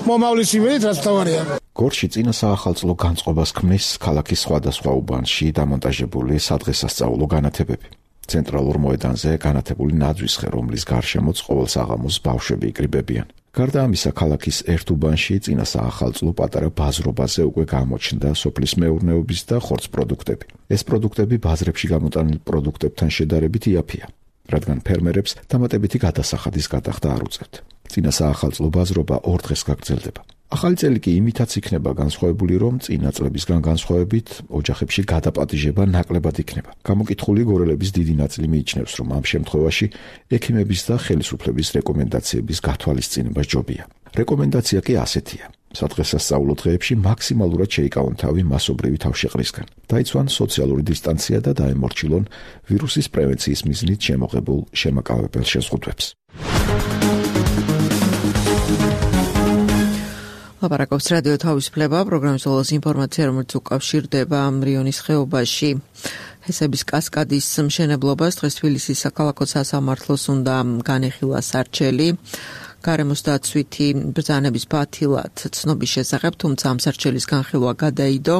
მომავლის იმედით რაც თავარია. გორში წინა საახალწლო განწყობას ქმნის ქალაქის სხვადასხვა უბანში დამონტაჟებული სადღესასწაულო განათებები. ცენტრალურ მოედანზე განათებული ნაძვისხე, რომლის გარშემოც ყოველ საღამოს ბავშვები იკრიბებიან. გარდა ამისა, ქალაქის ერთ უბანში წინა საახალწლო პატარა ბაზრობაზე უკვე გამოჩნდა სოფლის მეურნეობის და ხორცს პროდუქტები. ეს პროდუქტები ბაზრებში გამოტანილ პროდუქტებთან შედარებით იაფია, რადგან ფერმერებს დამატებითი გადასახადის გადახდა არ უწევთ. წინა საახალწლო ბაზრობა 2 დღეს გაგრძელდება. ახალი წელი კი იმითაც იქნება განსხვავებული, რომ წინა წლებისგან განსხვავებით ოჯახებში გადაპატიჟება ნაკლებად იქნება. გამოკითხული გორელების დიდი ნაწილი მიიჩნევს, რომ ამ შემთხვევაში ექიმების და ხელისუფლების რეკომენდაციების გათვალისწინება ჯობია. რეკომენდაცია კი ასეთია: სადღესასწაულო დღეებში მაქსიმალურად შეიკავონ თავი მასობრივი თავშეყრისგან, დაიცვან სოციალური დისტანცია და დაემორჩილონ ვირუსის პრევენციის მიზნით შემოღებულ შემაკავებელ შეზღუდვებს. ლაპარაკობს რადიო თავისუფლება, პროგრამის ბოლოს ინფორმაცია, რომელიც უკავშირდება რიონის ხეობაში ჰესების კასკადის მშენებლობას. დღეს თბილისის საქალაქო სასამართლოს უნდა განეხილვა სარჩელი გარემოს დაცვითი ბრძანების ბათილად ცნობის შესახებ, თუმცა ამ სარჩელის განხილვა გადაიდო.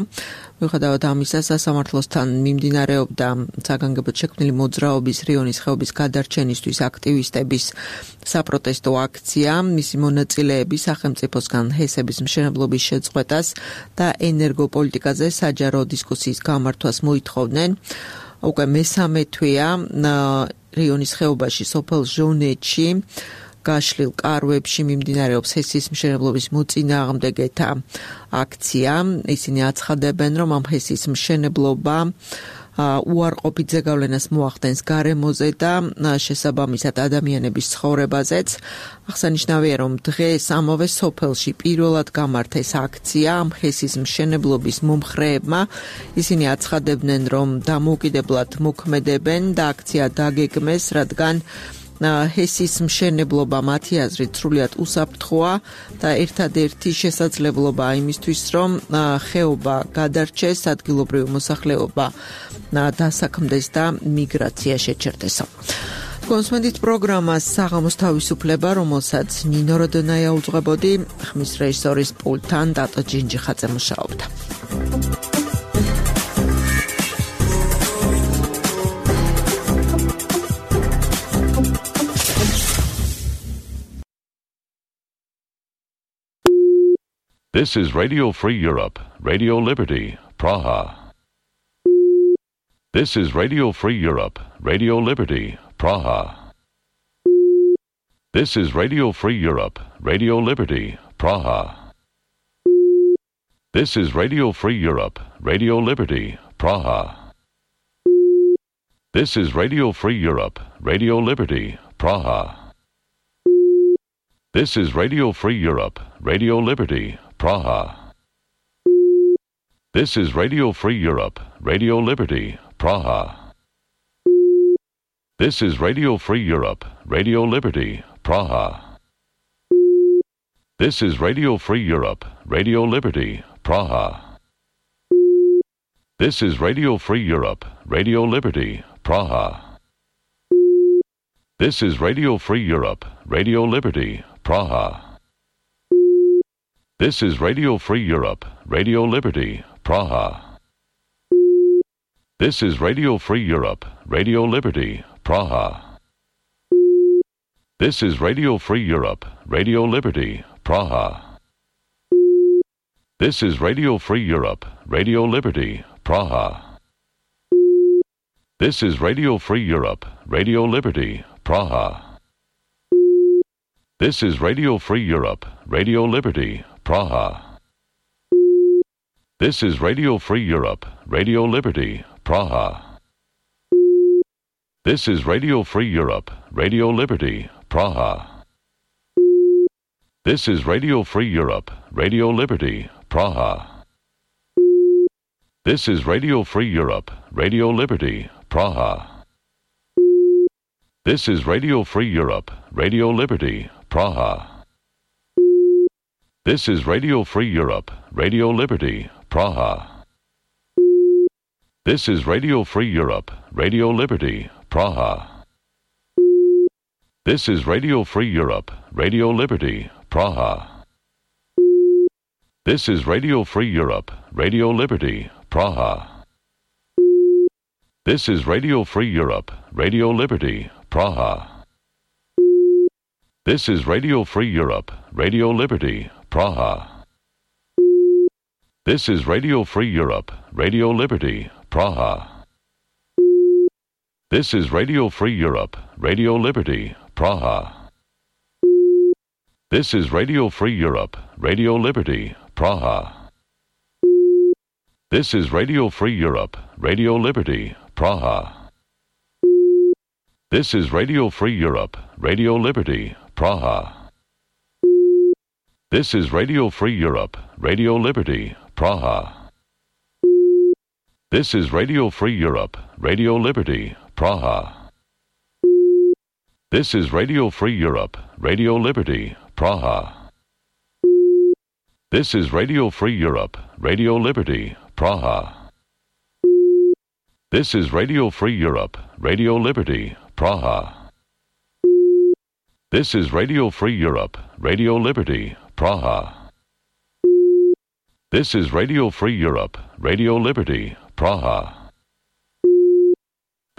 მიუხედავად ამისა, სასამართლოსთან მიმდინარეობდა საგანგებოდ შექმნილი მოძრაობის რიონის ხეობის გადარჩენისთვის აქტივისტების საპროტესტო აქცია. მისი მონაწილეები სახელმწიფოსგან ჰესების მშენებლობის შეწყვეტას და ენერგოპოლიტიკაზე საჯარო დისკუსიის გამართვას მოითხოვდნენ. უკვე მესამე თვეა რიონის ხეობაში სოფელ ჟონეთში გაშლილ კარვებში მიმდინარეობს ჰესის მშენებლობის მოწინააღმდეგეთა აქცია. ისინი აცხადებენ, რომ ამ ჰესის მშენებლობა უარყოფით ზეგავლენას მოახდენს გარემოზე და შესაბამისად ადამიანების ცხოვრებაზეც. აღსანიშნავია, რომ დღეს ამავე სოფელში პირველად გამართეს აქცია ამ ჰესის მშენებლობის მომხრეებმა. ისინი აცხადებდნენ, რომ დამოუკიდებლად მოქმედებენ და აქცია დაგეგმეს, რადგან ჰესის მშენებლობა მათი აზრით სრულიად უსაფრთხოა და ერთადერთი შესაძლებლობა იმისთვის, რომ ხეობა გადარჩეს, ადგილობრივი მოსახლეობა დასაქმდეს და მიგრაცია შეჩერდეს. კონსმენდით პროგრამას საღამოს თავისუფლება, რომელსაც ნინო როდონაია უძღვებოდი, ხმის რეჟისორის პულტთან დატო ჯინჯიხაძე მუშაობდა. This is Radio Free Europe, Radio Liberty, Praha. This is Radio Free Europe, Radio Liberty, Praha. This is Radio Free Europe, Radio Liberty, Praha. This is Radio Free Europe, Radio Liberty, Praha. This is Radio Free Europe, Radio Liberty, Praha. This is Radio Free Europe, Radio Liberty, Praha. This is Radio Free Europe, Radio Liberty, Praha. This is Radio Free Europe, Radio Liberty, Praha. This is Radio Free Europe, Radio Liberty, Praha. This is Radio Free Europe, Radio Liberty, Praha. This is Radio Free Europe, Radio Liberty, Praha. This is Radio Free Europe, Radio Liberty, Praha. This is Radio Free Europe, Radio Liberty, Praha. This is Radio Free Europe, Radio Liberty, Praha. This is Radio Free Europe, Radio Liberty, Praha. This is Radio Free Europe, Radio Liberty, Praha. This is Radio Free Europe, Radio Liberty, Praha. This is Radio Free Europe, Radio Liberty, Praha. This is Radio Free Europe, Radio Liberty, Praha. This is Radio Free Europe, Radio Liberty, Praha. This is Radio Free Europe, Radio Liberty, Praha. This is Radio Free Europe, Radio Liberty, Praha. This is Radio Free Europe, Radio Liberty, Praha. This is Radio Free Europe, Radio Liberty, Praha. This is Radio Free Europe, Radio Liberty, Praha. This is Radio Free Europe, Radio Liberty, Praha. This is Radio Free Europe, Radio Liberty, Praha. This is Radio Free Europe, Radio Liberty, Praha. This is Radio Free Europe, Radio Liberty, Praha. This is Radio Free Europe, Radio Liberty, Praha. This is Radio Free Europe, Radio Liberty, Praha. This is Radio Free Europe, Radio Liberty, Praha. This is Radio Free Europe, Radio Liberty, Praha. This is Radio Free Europe, Radio Liberty, Praha. This is Radio Free Europe, Radio Liberty, Praha. This is Radio Free Europe, Radio Liberty, Praha. This is Radio Free Europe, Radio Liberty, Praha. This is Radio Free Europe, Radio Liberty, Praha. This is Radio Free Europe, Radio Liberty, Praha. This is Radio Free Europe, Radio Liberty, Praha.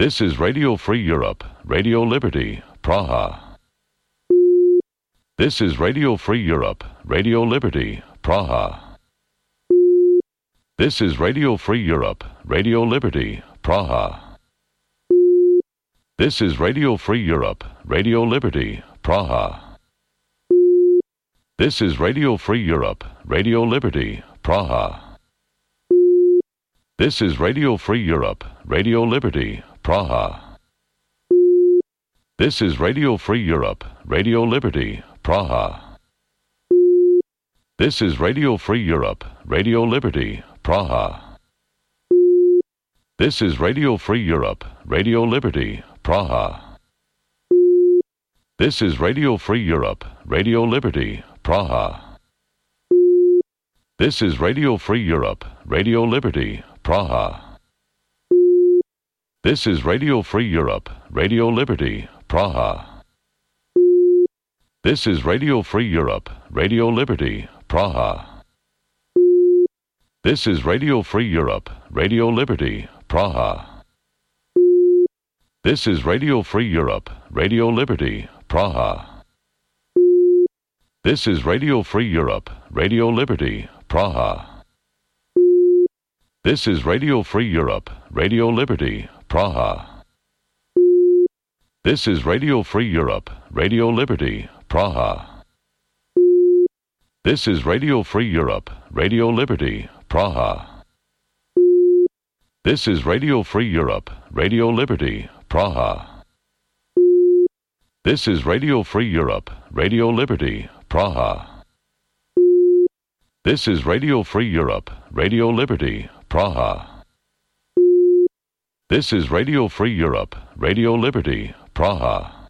This is Radio Free Europe, Radio Liberty, Praha. This is Radio Free Europe, Radio Liberty, Praha. This is Radio Free Europe, Radio Liberty, Praha. This is Radio Free Europe, Radio Liberty, Praha. This is Radio Free Europe, Radio Liberty, Praha. This is Radio Free Europe, Radio Liberty, Praha. This is Radio Free Europe, Radio Liberty, Praha. This is Radio Free Europe, Radio Liberty, Praha. This is Radio Free Europe, Radio Liberty, Praha. This is Radio Free Europe, Radio Liberty, Praha. This is Radio Free Europe, Radio Liberty, Praha. This is Radio Free Europe, Radio Liberty, Praha. This is Radio Free Europe, Radio Liberty, Praha. This is Radio Free Europe, Radio Liberty, Praha. This is Radio Free Europe, Radio Liberty, Praha. This is Radio Free Europe, Radio Liberty, Praha. This is Radio Free Europe, Radio Liberty, Praha. This is Radio Free Europe, Radio Liberty, Praha. This is Radio Free Europe, Radio Liberty, Praha. This is Radio Free Europe, Radio Liberty, Praha. This is Radio Free Europe, Radio Liberty, Praha. This is Radio Free Europe, Radio Liberty, Praha. This is Radio Free Europe, Radio Liberty, Praha.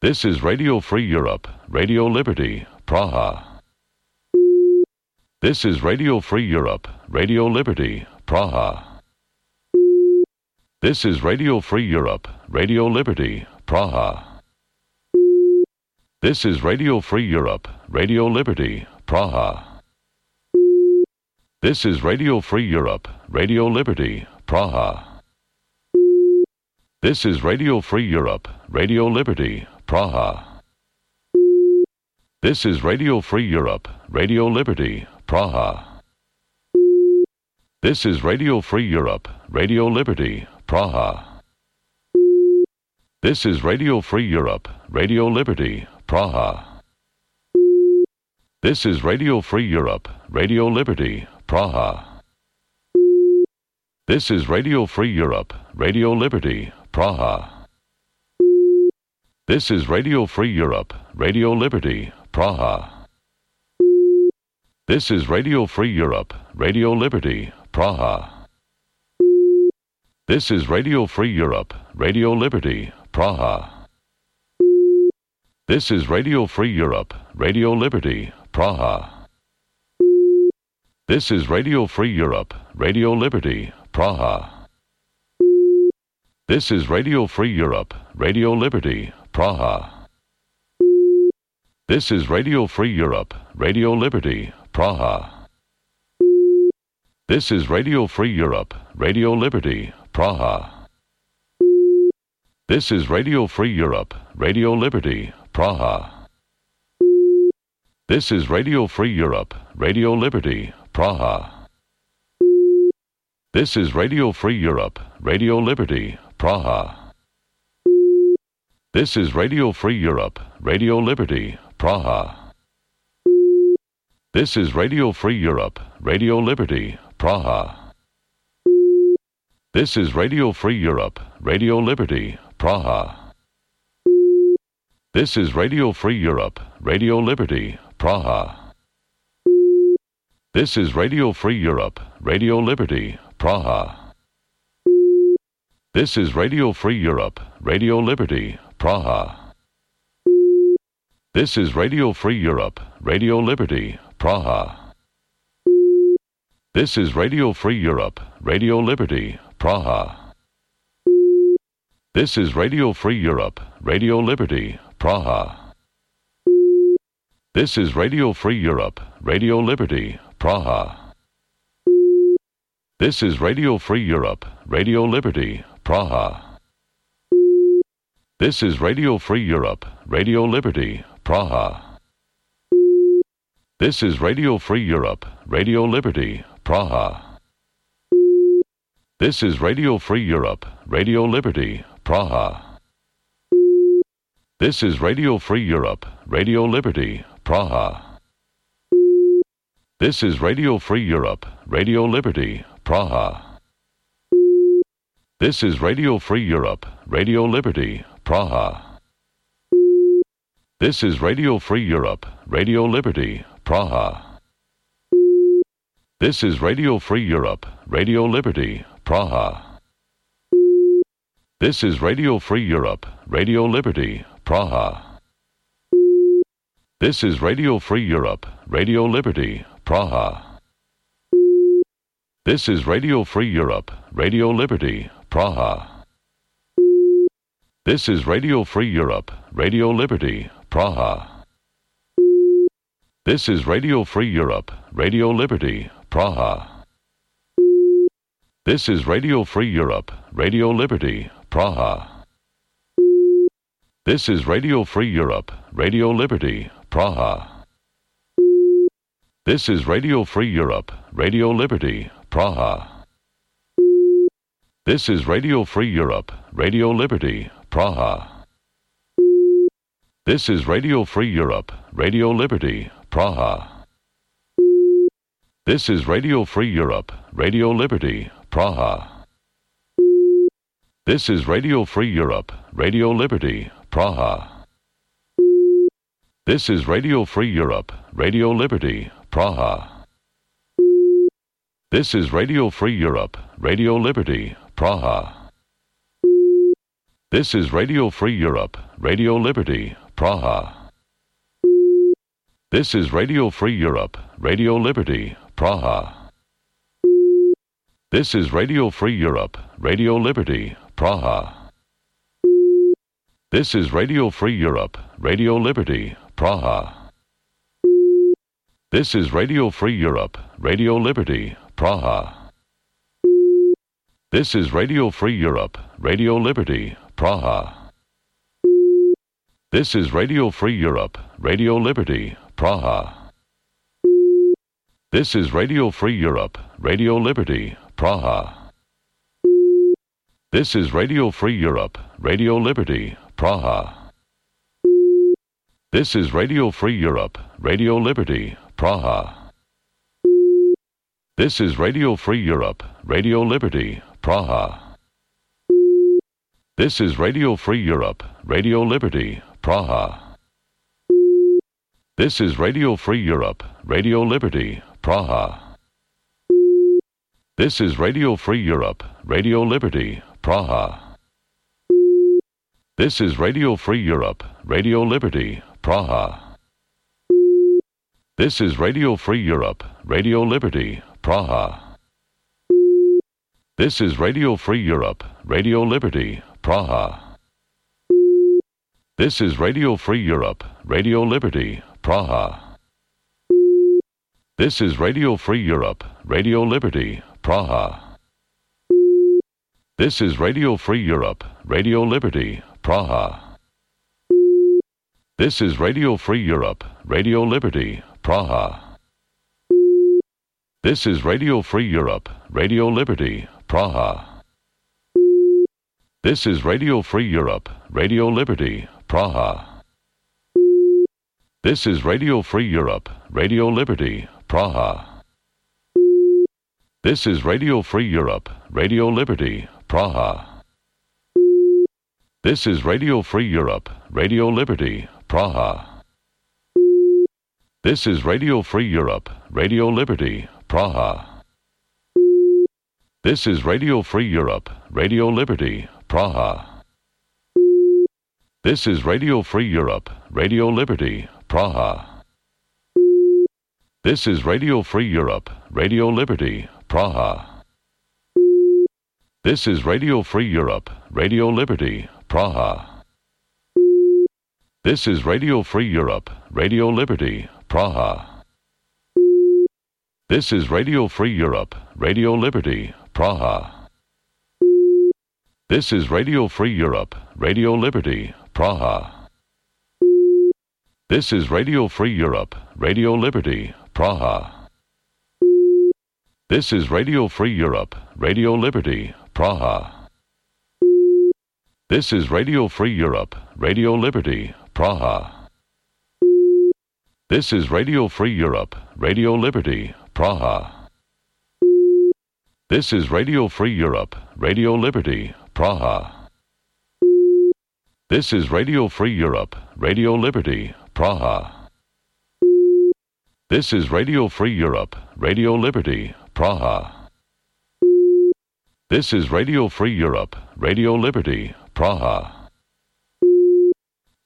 This is Radio Free Europe, Radio Liberty, Praha. This is Radio Free Europe, Radio Liberty, Praha. This is Radio Free Europe, Radio Liberty, Praha. This is Radio Free Europe, Radio Liberty, Praha. This is Radio Free Europe, Radio Liberty, Praha. This is Radio Free Europe, Radio Liberty, Praha. This is Radio Free Europe, Radio Liberty, Praha. This is Radio Free Europe, Radio Liberty, Praha. This is Radio Free Europe, Radio Liberty, Praha. This is Radio Free Europe, Radio Liberty, Praha. This is Radio Free Europe, Radio Liberty, Praha. This is Radio Free Europe, Radio Liberty, Praha. This is Radio Free Europe, Radio Liberty, Praha. This is Radio Free Europe, Radio Liberty, Praha. This is Radio Free Europe, Radio Liberty, Praha. This is Radio Free Europe, Radio Liberty, Praha. This is Radio Free Europe, Radio Liberty, Praha. This is Radio Free Europe, Radio Liberty, Praha. This is Radio Free Europe, Radio Liberty, Praha. This is Radio Free Europe, Radio Liberty, Praha. This is Radio Free Europe, Radio Liberty, Praha. This is Radio Free Europe, Radio Liberty, Praha. This is Radio Free Europe, Radio Liberty, Praha. This is Radio Free Europe, Radio Liberty, Praha. This is Radio Free Europe, Radio Liberty, Praha. This is Radio Free Europe, Radio Liberty, Praha. This is Radio Free Europe, Radio Liberty, Praha. This is Radio Free Europe, Radio Liberty, Praha. This is Radio Free Europe, Radio Liberty, Praha. This is Radio Free Europe, Radio Liberty, Praha. This is Radio Free Europe, Radio Liberty, Praha. This is Radio Free Europe, Radio Liberty, Praha. This is Radio Free Europe, Radio Liberty, Praha. This is Radio Free Europe, Radio Liberty, Praha. This is Radio Free Europe, Radio Liberty, Praha. This is Radio Free Europe, Radio Liberty, Praha. This is Radio Free Europe, Radio Liberty, Praha. This is Radio Free Europe, Radio Liberty, Praha. This is Radio Free Europe, Radio Liberty, Praha. This is Radio Free Europe, Radio Liberty, Praha. This is Radio Free Europe, Radio Liberty, Praha. This is Radio Free Europe, Radio Liberty, Praha. This is Radio Free Europe, Radio Liberty, Praha. This is Radio Free Europe, Radio Liberty, Praha. This is Radio Free Europe, Radio Liberty, Praha. This is Radio Free Europe, Radio Liberty, Praha. This is Radio Free Europe, Radio Liberty, Praha. This is Radio Free Europe, Radio Liberty, Praha. This is Radio Free Europe, Radio Liberty, Praha. This is Radio Free Europe, Radio Liberty, Praha. This is Radio Free Europe, Radio Liberty, Praha. This is Radio Free Europe, Radio Liberty, Praha. This is Radio Free Europe, Radio Liberty, Praha. This is Radio Free Europe, Radio Liberty, Praha. This is Radio Free Europe, Radio Liberty, Praha. This is Radio Free Europe, Radio Liberty, Praha. This is Radio Free Europe, Radio Liberty, Praha. This is Radio Free Europe, Radio Liberty, Praha. This is Radio Free Europe, Radio Liberty, Praha. This is Radio Free Europe, Radio Liberty, Praha. This is Radio Free Europe, Radio Liberty, Praha. This is Radio Free Europe, Radio Liberty, Praha. This is Radio Free Europe, Radio Liberty, Praha. This is Radio Free Europe, Radio Liberty, Praha. This is Radio Free Europe, Radio Liberty, Praha. This is Radio Free Europe, Radio Liberty, Praha. This is Radio Free Europe, Radio Liberty, Praha. This is Radio Free Europe, Radio Liberty, Praha. This is Radio Free Europe, Radio Liberty, Praha. This is Radio Free Europe, Radio Liberty, Praha. This is Radio Free Europe, Radio Liberty, Praha. This is Radio Free Europe, Radio Liberty, Praha. This is Radio Free Europe, Radio Liberty, Praha. This is Radio Free Europe, Radio Liberty, Praha. This is Radio Free Europe, Radio Liberty, Praha. This is Radio Free Europe, Radio Liberty, Praha. This is Radio Free Europe, Radio Liberty, Praha. This is Radio Free Europe, Radio Liberty, Praha. This is Radio Free Europe, Radio Liberty, Praha. This is Radio Free Europe, Radio Liberty, Praha. This is Radio Free Europe, Radio Liberty, Praha. This is Radio Free Europe, Radio Liberty, Praha. This is Radio Free Europe, Radio Liberty, Praha. This is Radio Free Europe, Radio Liberty, Praha. This is Radio Free Europe, Radio Liberty, Praha. This is Radio Free Europe, Radio Liberty, Praha. This is Radio Free Europe, Radio Liberty, Praha. This is Radio Free Europe, Radio Liberty, Praha. This is Radio Free Europe, Radio Liberty, Praha. This is Radio Free Europe, Radio Liberty, Praha. This is Radio Free Europe, Radio Liberty, Praha. This is Radio Free Europe, Radio Liberty, Praha. This is Radio Free Europe, Radio Liberty, Praha. This is Radio Free Europe, Radio Liberty, Praha. This is Radio Free Europe, Radio Liberty, Praha. This is Radio Free Europe, Radio Liberty, Praha. This is Radio Free Europe, Radio Liberty, Praha.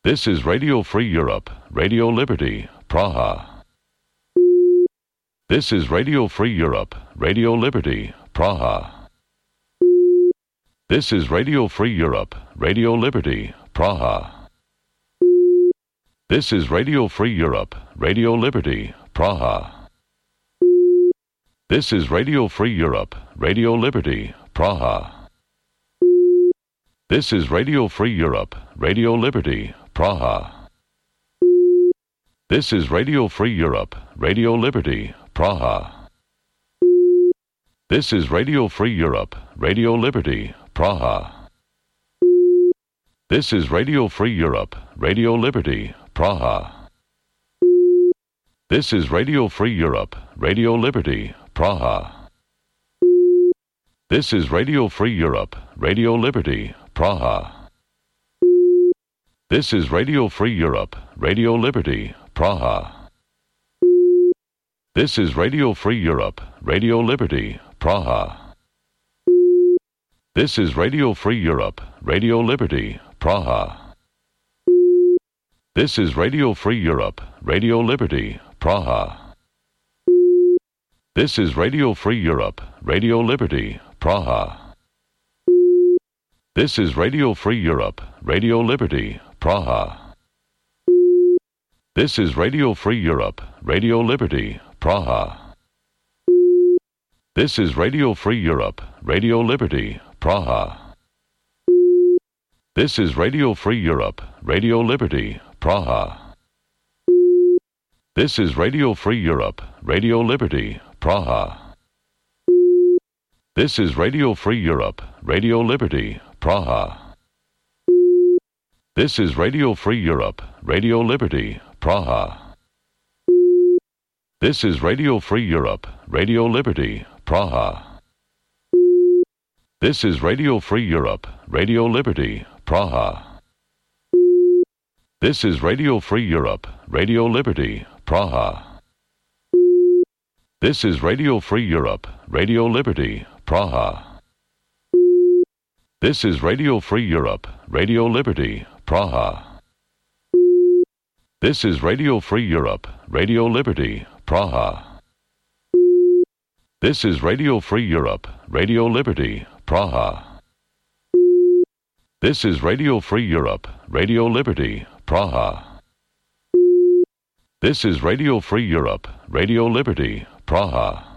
This is Radio Free Europe, Radio Liberty, Praha. This is Radio Free Europe, Radio Liberty, Praha. This is Radio Free Europe, Radio Liberty, Praha. This is Radio Free Europe, Radio Liberty, Praha. This is Radio Free Europe, Radio Liberty, Praha. This is Radio Free Europe, Radio Liberty, Praha. This is Radio Free Europe, Radio Liberty, Praha. This is Radio Free Europe, Radio Liberty, Praha. This is Radio Free Europe, Radio Liberty, Praha. This is Radio Free Europe, Radio Liberty, Praha. This is Radio Free Europe, Radio Liberty, Praha. This is Radio Free Europe, Radio Liberty, Praha. This is Radio Free Europe, Radio Liberty, Praha. This is Radio Free Europe, Radio Liberty, Praha. This is Radio Free Europe, Radio Liberty, Praha. This is Radio Free Europe, Radio Liberty, Praha. This is Radio Free Europe, Radio Liberty, Praha. This is Radio Free Europe, Radio Liberty, Praha. This is Radio Free Europe, Radio Liberty, Praha. This is Radio Free Europe, Radio Liberty, Praha. This is Radio Free Europe, Radio Liberty, Praha. This is Radio Free Europe, Radio Liberty, Praha. This is Radio Free Europe, Radio Liberty, Praha. This is Radio Free Europe, Radio Liberty, Praha. This is Radio Free Europe, Radio Liberty, Praha. This is Radio Free Europe, Radio Liberty, Praha. This is Radio Free Europe, Radio Liberty, Praha. This is Radio Free Europe, Radio Liberty, Praha. This is Radio Free Europe, Radio Liberty, Praha. This is Radio Free Europe, Radio Liberty, Praha. This is Radio Free Europe, Radio Liberty, Praha. This is Radio Free Europe, Radio Liberty, Praha. This is Radio Free Europe, Radio Liberty, Praha.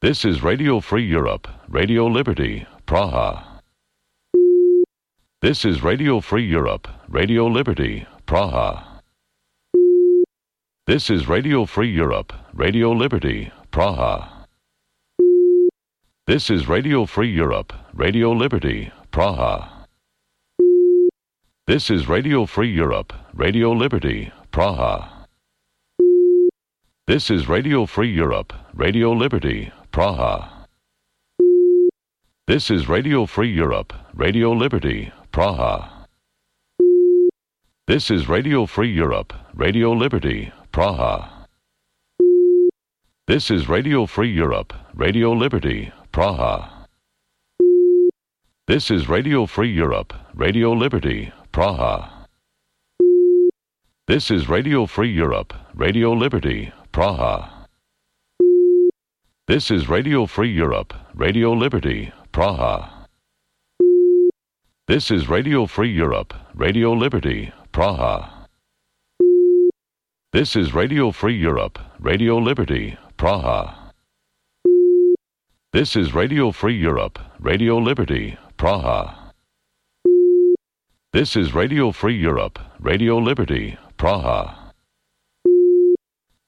This is Radio Free Europe, Radio Liberty, Praha. This is Radio Free Europe, Radio Liberty, Praha. This is Radio Free Europe, Radio Liberty, Praha. This is Radio Free Europe, Radio Liberty, Praha. This is Radio Free Europe, Radio Liberty, Praha. This is Radio Free Europe, Radio Liberty, Praha. This is Radio Free Europe, Radio Liberty, Praha. This is Radio Free Europe, Radio Liberty, Praha. This is Radio Free Europe, Radio Liberty, Praha. This is Radio Free Europe, Radio Liberty, Praha. This is Radio Free Europe, Radio Liberty, Praha. This is Radio Free Europe, Radio Liberty, Praha. This is Radio Free Europe, Radio Liberty, Praha. This is Radio Free Europe, Radio Liberty, Praha. This is Radio Free Europe, Radio Liberty, Praha.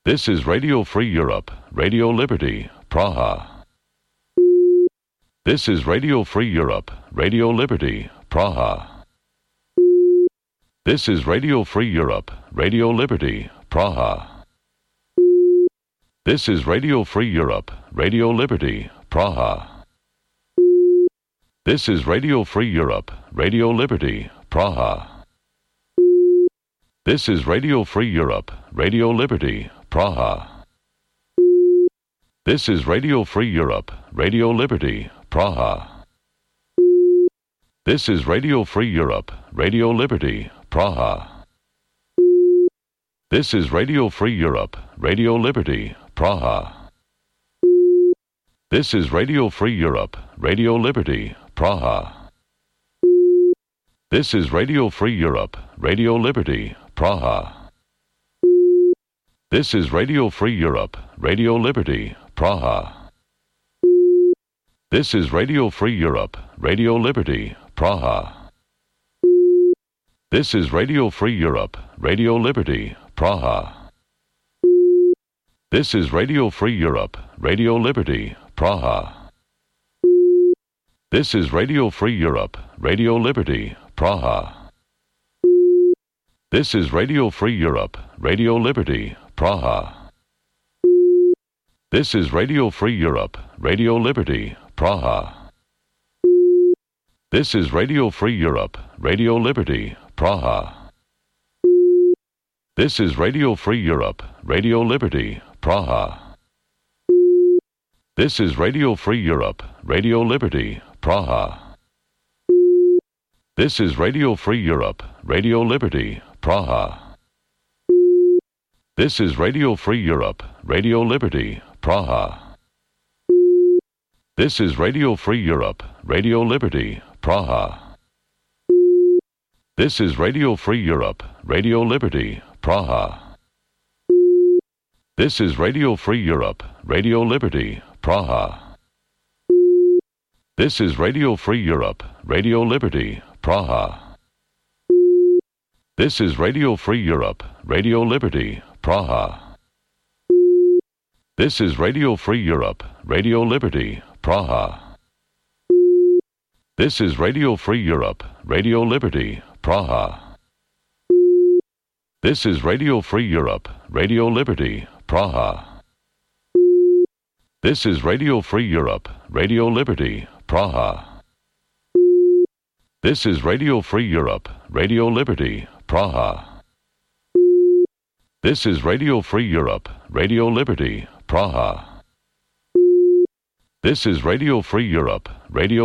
This is Radio Free Europe, Radio Liberty, Praha. This is Radio Free Europe, Radio Liberty, Praha. This is Radio Free Europe, Radio Liberty, Praha. This is Radio Free Europe, Radio Liberty, Praha. This is Radio Free Europe, Radio Liberty, Praha. This is Radio Free Europe, Radio Liberty, Praha. This is Radio Free Europe, Radio Liberty, Praha. This is Radio Free Europe, Radio Liberty, Praha. This is Radio Free Europe, Radio Liberty, Praha. This is Radio Free Europe, Radio Liberty, Praha. This is Radio Free Europe, Radio Liberty, Praha. This is Radio Free Europe, Radio Liberty, Praha. This is Radio Free Europe, Radio Liberty, Praha. This is Radio Free Europe, Radio Liberty, Praha. This is Radio Free Europe, Radio Liberty, Praha. This is Radio Free Europe, Radio Liberty, Praha. This is Radio Free Europe, Radio Liberty, Praha. This is Radio Free Europe, Radio Liberty, Praha. This is Radio Free Europe, Radio Liberty, Praha. This is Radio Free Europe, Radio Liberty, Praha. This is Radio Free Europe, Radio Liberty, Praha. This is Radio Free Europe, Radio Liberty, Praha. This is Radio Free Europe, Radio Liberty, Praha. This is Radio Free Europe, Radio Liberty, Praha. This is Radio Free Europe, Radio Liberty, Praha. This is Radio Free Europe, Radio Liberty, Praha. This is Radio Free Europe, Radio Liberty, Praha. This is Radio Free Europe, Radio Liberty, Praha. This is Radio Free Europe, Radio Liberty, Praha. This is Radio Free Europe, Radio Liberty, Praha. This is Radio Free Europe, Radio Liberty, Praha. This is Radio Free Europe, Radio Liberty, Praha. This is Radio Free Europe, Radio Liberty, Praha. This is Radio Free Europe, Radio Liberty, Praha. This is Radio Free Europe,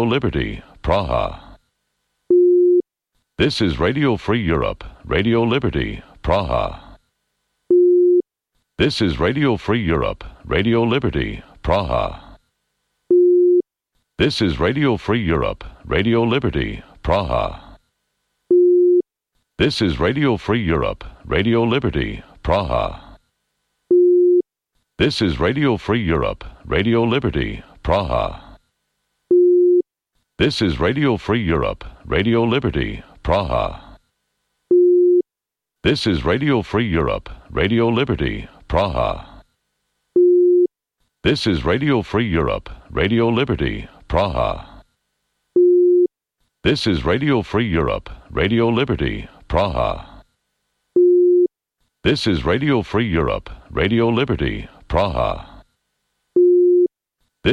Radio Liberty, Praha. This is Radio Free Europe, Radio Liberty, Praha. This is Radio Free Europe, Radio Liberty, Praha. This is Radio Free Europe, Radio Liberty, Praha. This is Radio Free Europe, Radio Liberty, Praha. This is Radio Free Europe, Radio Liberty, Praha. This is Radio Free Europe, Radio Liberty, Praha. This is Radio Free Europe, Radio Liberty, Praha. This is Radio Free Europe, Radio Liberty, Praha. This is Radio Free Europe, Radio Liberty, Praha. This is Radio Free Europe, Radio Liberty, Praha.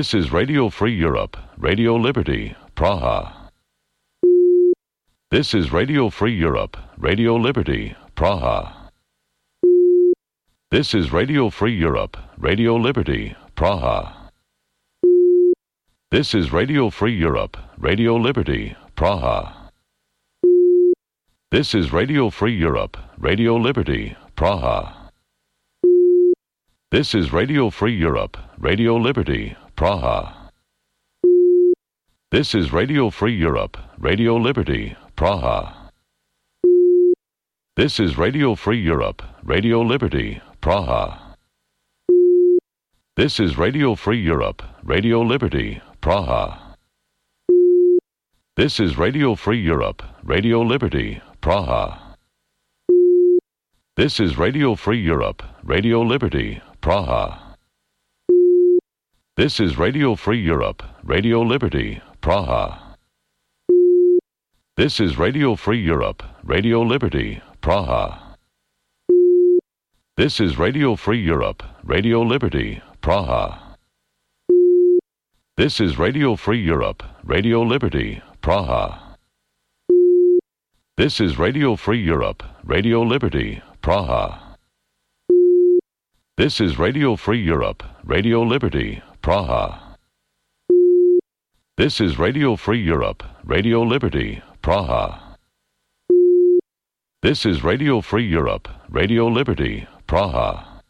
This is Radio Free Europe, Radio Liberty, Praha. This is Radio Free Europe, Radio Liberty, Praha. This is Radio Free Europe, Radio Liberty, Praha. This is Radio Free Europe, Radio Liberty, Praha. This is Radio Free Europe, Radio Liberty, Praha. This is Radio Free Europe, Radio Liberty, Praha. This is Radio Free Europe, Radio Liberty, Praha. This is Radio Free Europe, Radio Liberty, Praha. This is Radio Free Europe, Radio Liberty, Praha. This is Radio Free Europe, Radio Liberty, Praha. This is Radio Free Europe, Radio Liberty, Praha. This is Radio Free Europe, Radio Liberty, Praha. This is Radio Free Europe, Radio Liberty, Praha. This is Radio Free Europe, Radio Liberty, Praha. This is Radio Free Europe, Radio Liberty, Praha. This is Radio Free Europe, Radio Liberty, Praha. This is Radio Free Europe, Radio Liberty, Praha. This is Radio Free Europe, Radio Liberty, Praha. This is Radio Free Europe, Radio Liberty, Praha.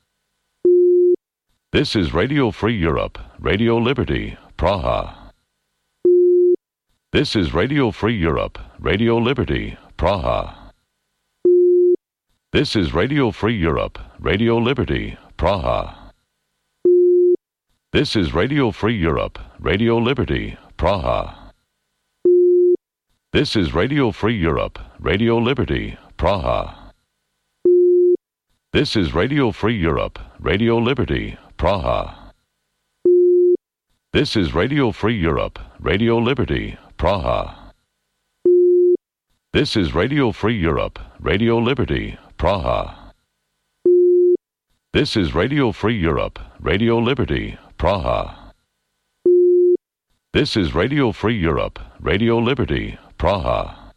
This is Radio Free Europe, Radio Liberty, Praha. This is Radio Free Europe, Radio Liberty, Praha. This is Radio Free Europe, Radio Liberty, Praha. This is Radio Free Europe, Radio Liberty, Praha. This is Radio Free Europe, Radio Liberty, Praha. This is Radio Free Europe, Radio Liberty, Praha. This is Radio Free Europe, Radio Liberty, Praha. This is Radio Free Europe, Radio Liberty, Praha. This is Radio Free Europe, Radio Liberty, Praha. This is Radio Free Europe, Radio Liberty, Praha.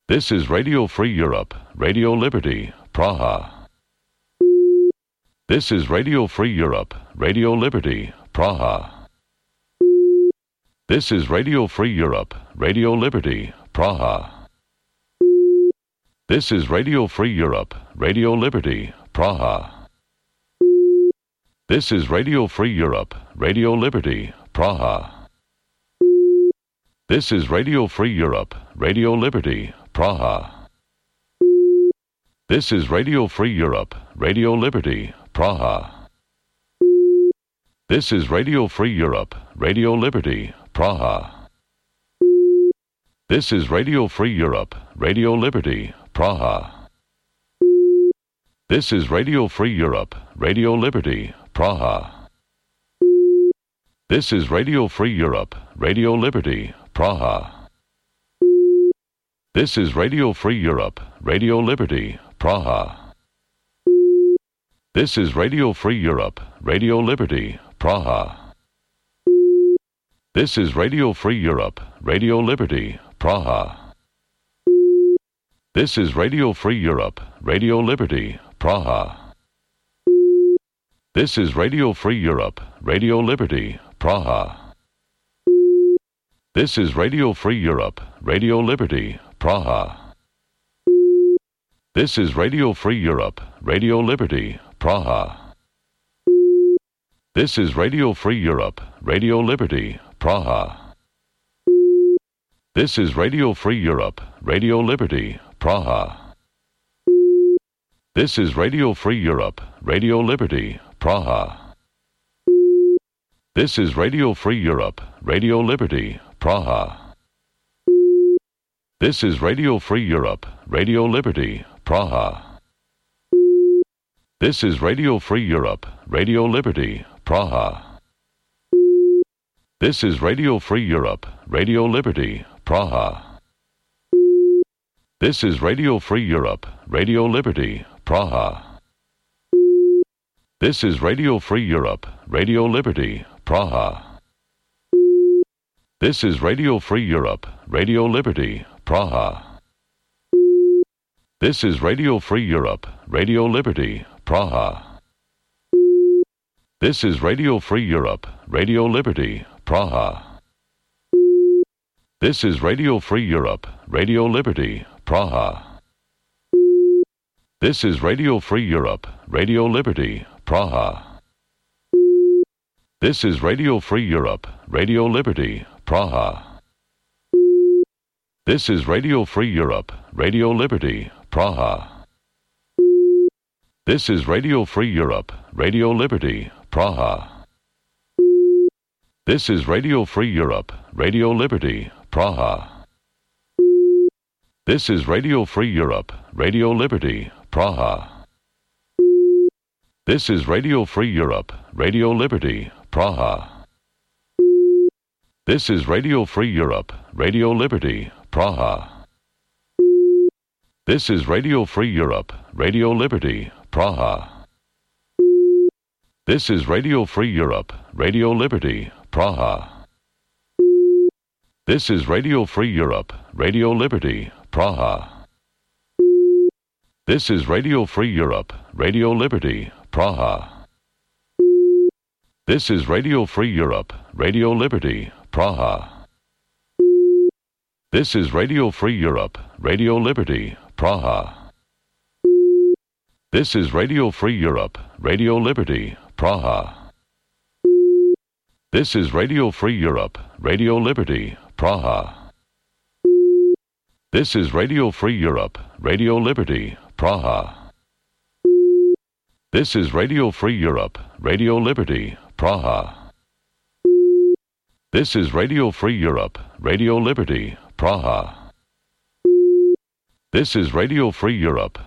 This is Radio Free Europe, Radio Liberty, Praha. This is Radio Free Europe, Radio Liberty, Praha. This is Radio Free Europe, Radio Liberty, Praha. This is Radio Free Europe, Radio Liberty, Praha. This is Radio Free Europe, Radio Liberty, Praha. This is Radio Free Europe, Radio Liberty, Praha. This is Radio Free Europe, Radio Liberty, Praha. This is Radio Free Europe, Radio Liberty, Praha. This is Radio Free Europe, Radio Liberty, Praha. This is Radio Free Europe, Radio Liberty, Praha. This is Radio Free Europe, Radio Liberty, Praha. This is Radio Free Europe, Radio Liberty, Praha. This is Radio Free Europe, Radio Liberty, Praha. This is Radio Free Europe, Radio Liberty, Praha. This is Radio Free Europe, Radio Liberty, Praha. This is Radio Free Europe, Radio Liberty, Praha. This is Radio Free Europe, Radio Liberty, Praha. This is Radio Free Europe, Radio Liberty, Praha. This is Radio Free Europe, Radio Liberty, Praha. This is Radio Free Europe, Radio Liberty, Praha. This is Radio Free Europe, Radio Liberty, Praha. This is Radio Free Europe, Radio Liberty, Praha. This is Radio Free Europe, Radio Liberty, Praha. This is Radio Free Europe, Radio Liberty, Praha. This is Radio Free Europe, Radio Liberty, Praha. This is Radio Free Europe, Radio Liberty, Praha. This is Radio Free Europe, Radio Liberty, Praha. This is Radio Free Europe, Radio Liberty, Praha. This is Radio Free Europe, Radio Liberty, Praha. This is Radio Free Europe, Radio Liberty, Praha. This is Radio Free Europe, Radio Liberty, Praha. This is Radio Free Europe, Radio Liberty, Praha. This is Radio Free Europe, Radio Liberty, Praha. This is Radio Free Europe, Radio Liberty, Praha. This is Radio Free Europe, Radio Liberty, Praha. This is Radio Free Europe, Radio Liberty, Praha. This is Radio Free Europe, Radio Liberty, Praha. This is Radio Free Europe, Radio Liberty, Praha. This is Radio Free Europe, Radio Liberty, Praha. This is Radio Free Europe, Radio Liberty, Praha. This is Radio Free Europe, Radio Liberty, Praha. This is Radio Free Europe, Radio Liberty, Praha. This is Radio Free Europe, Radio Liberty, Praha. This is Radio Free Europe, Radio Liberty, Praha. This is Radio Free Europe, Radio Liberty, Praha. This is Radio Free Europe, Radio Liberty, Praha. This is Radio Free Europe, Radio Liberty, Praha. This is Radio Free Europe, Radio Liberty, Praha. This is Radio Free Europe, Radio Liberty, Praha. This is Radio Free Europe, Radio Liberty, Praha. This is Radio Free Europe,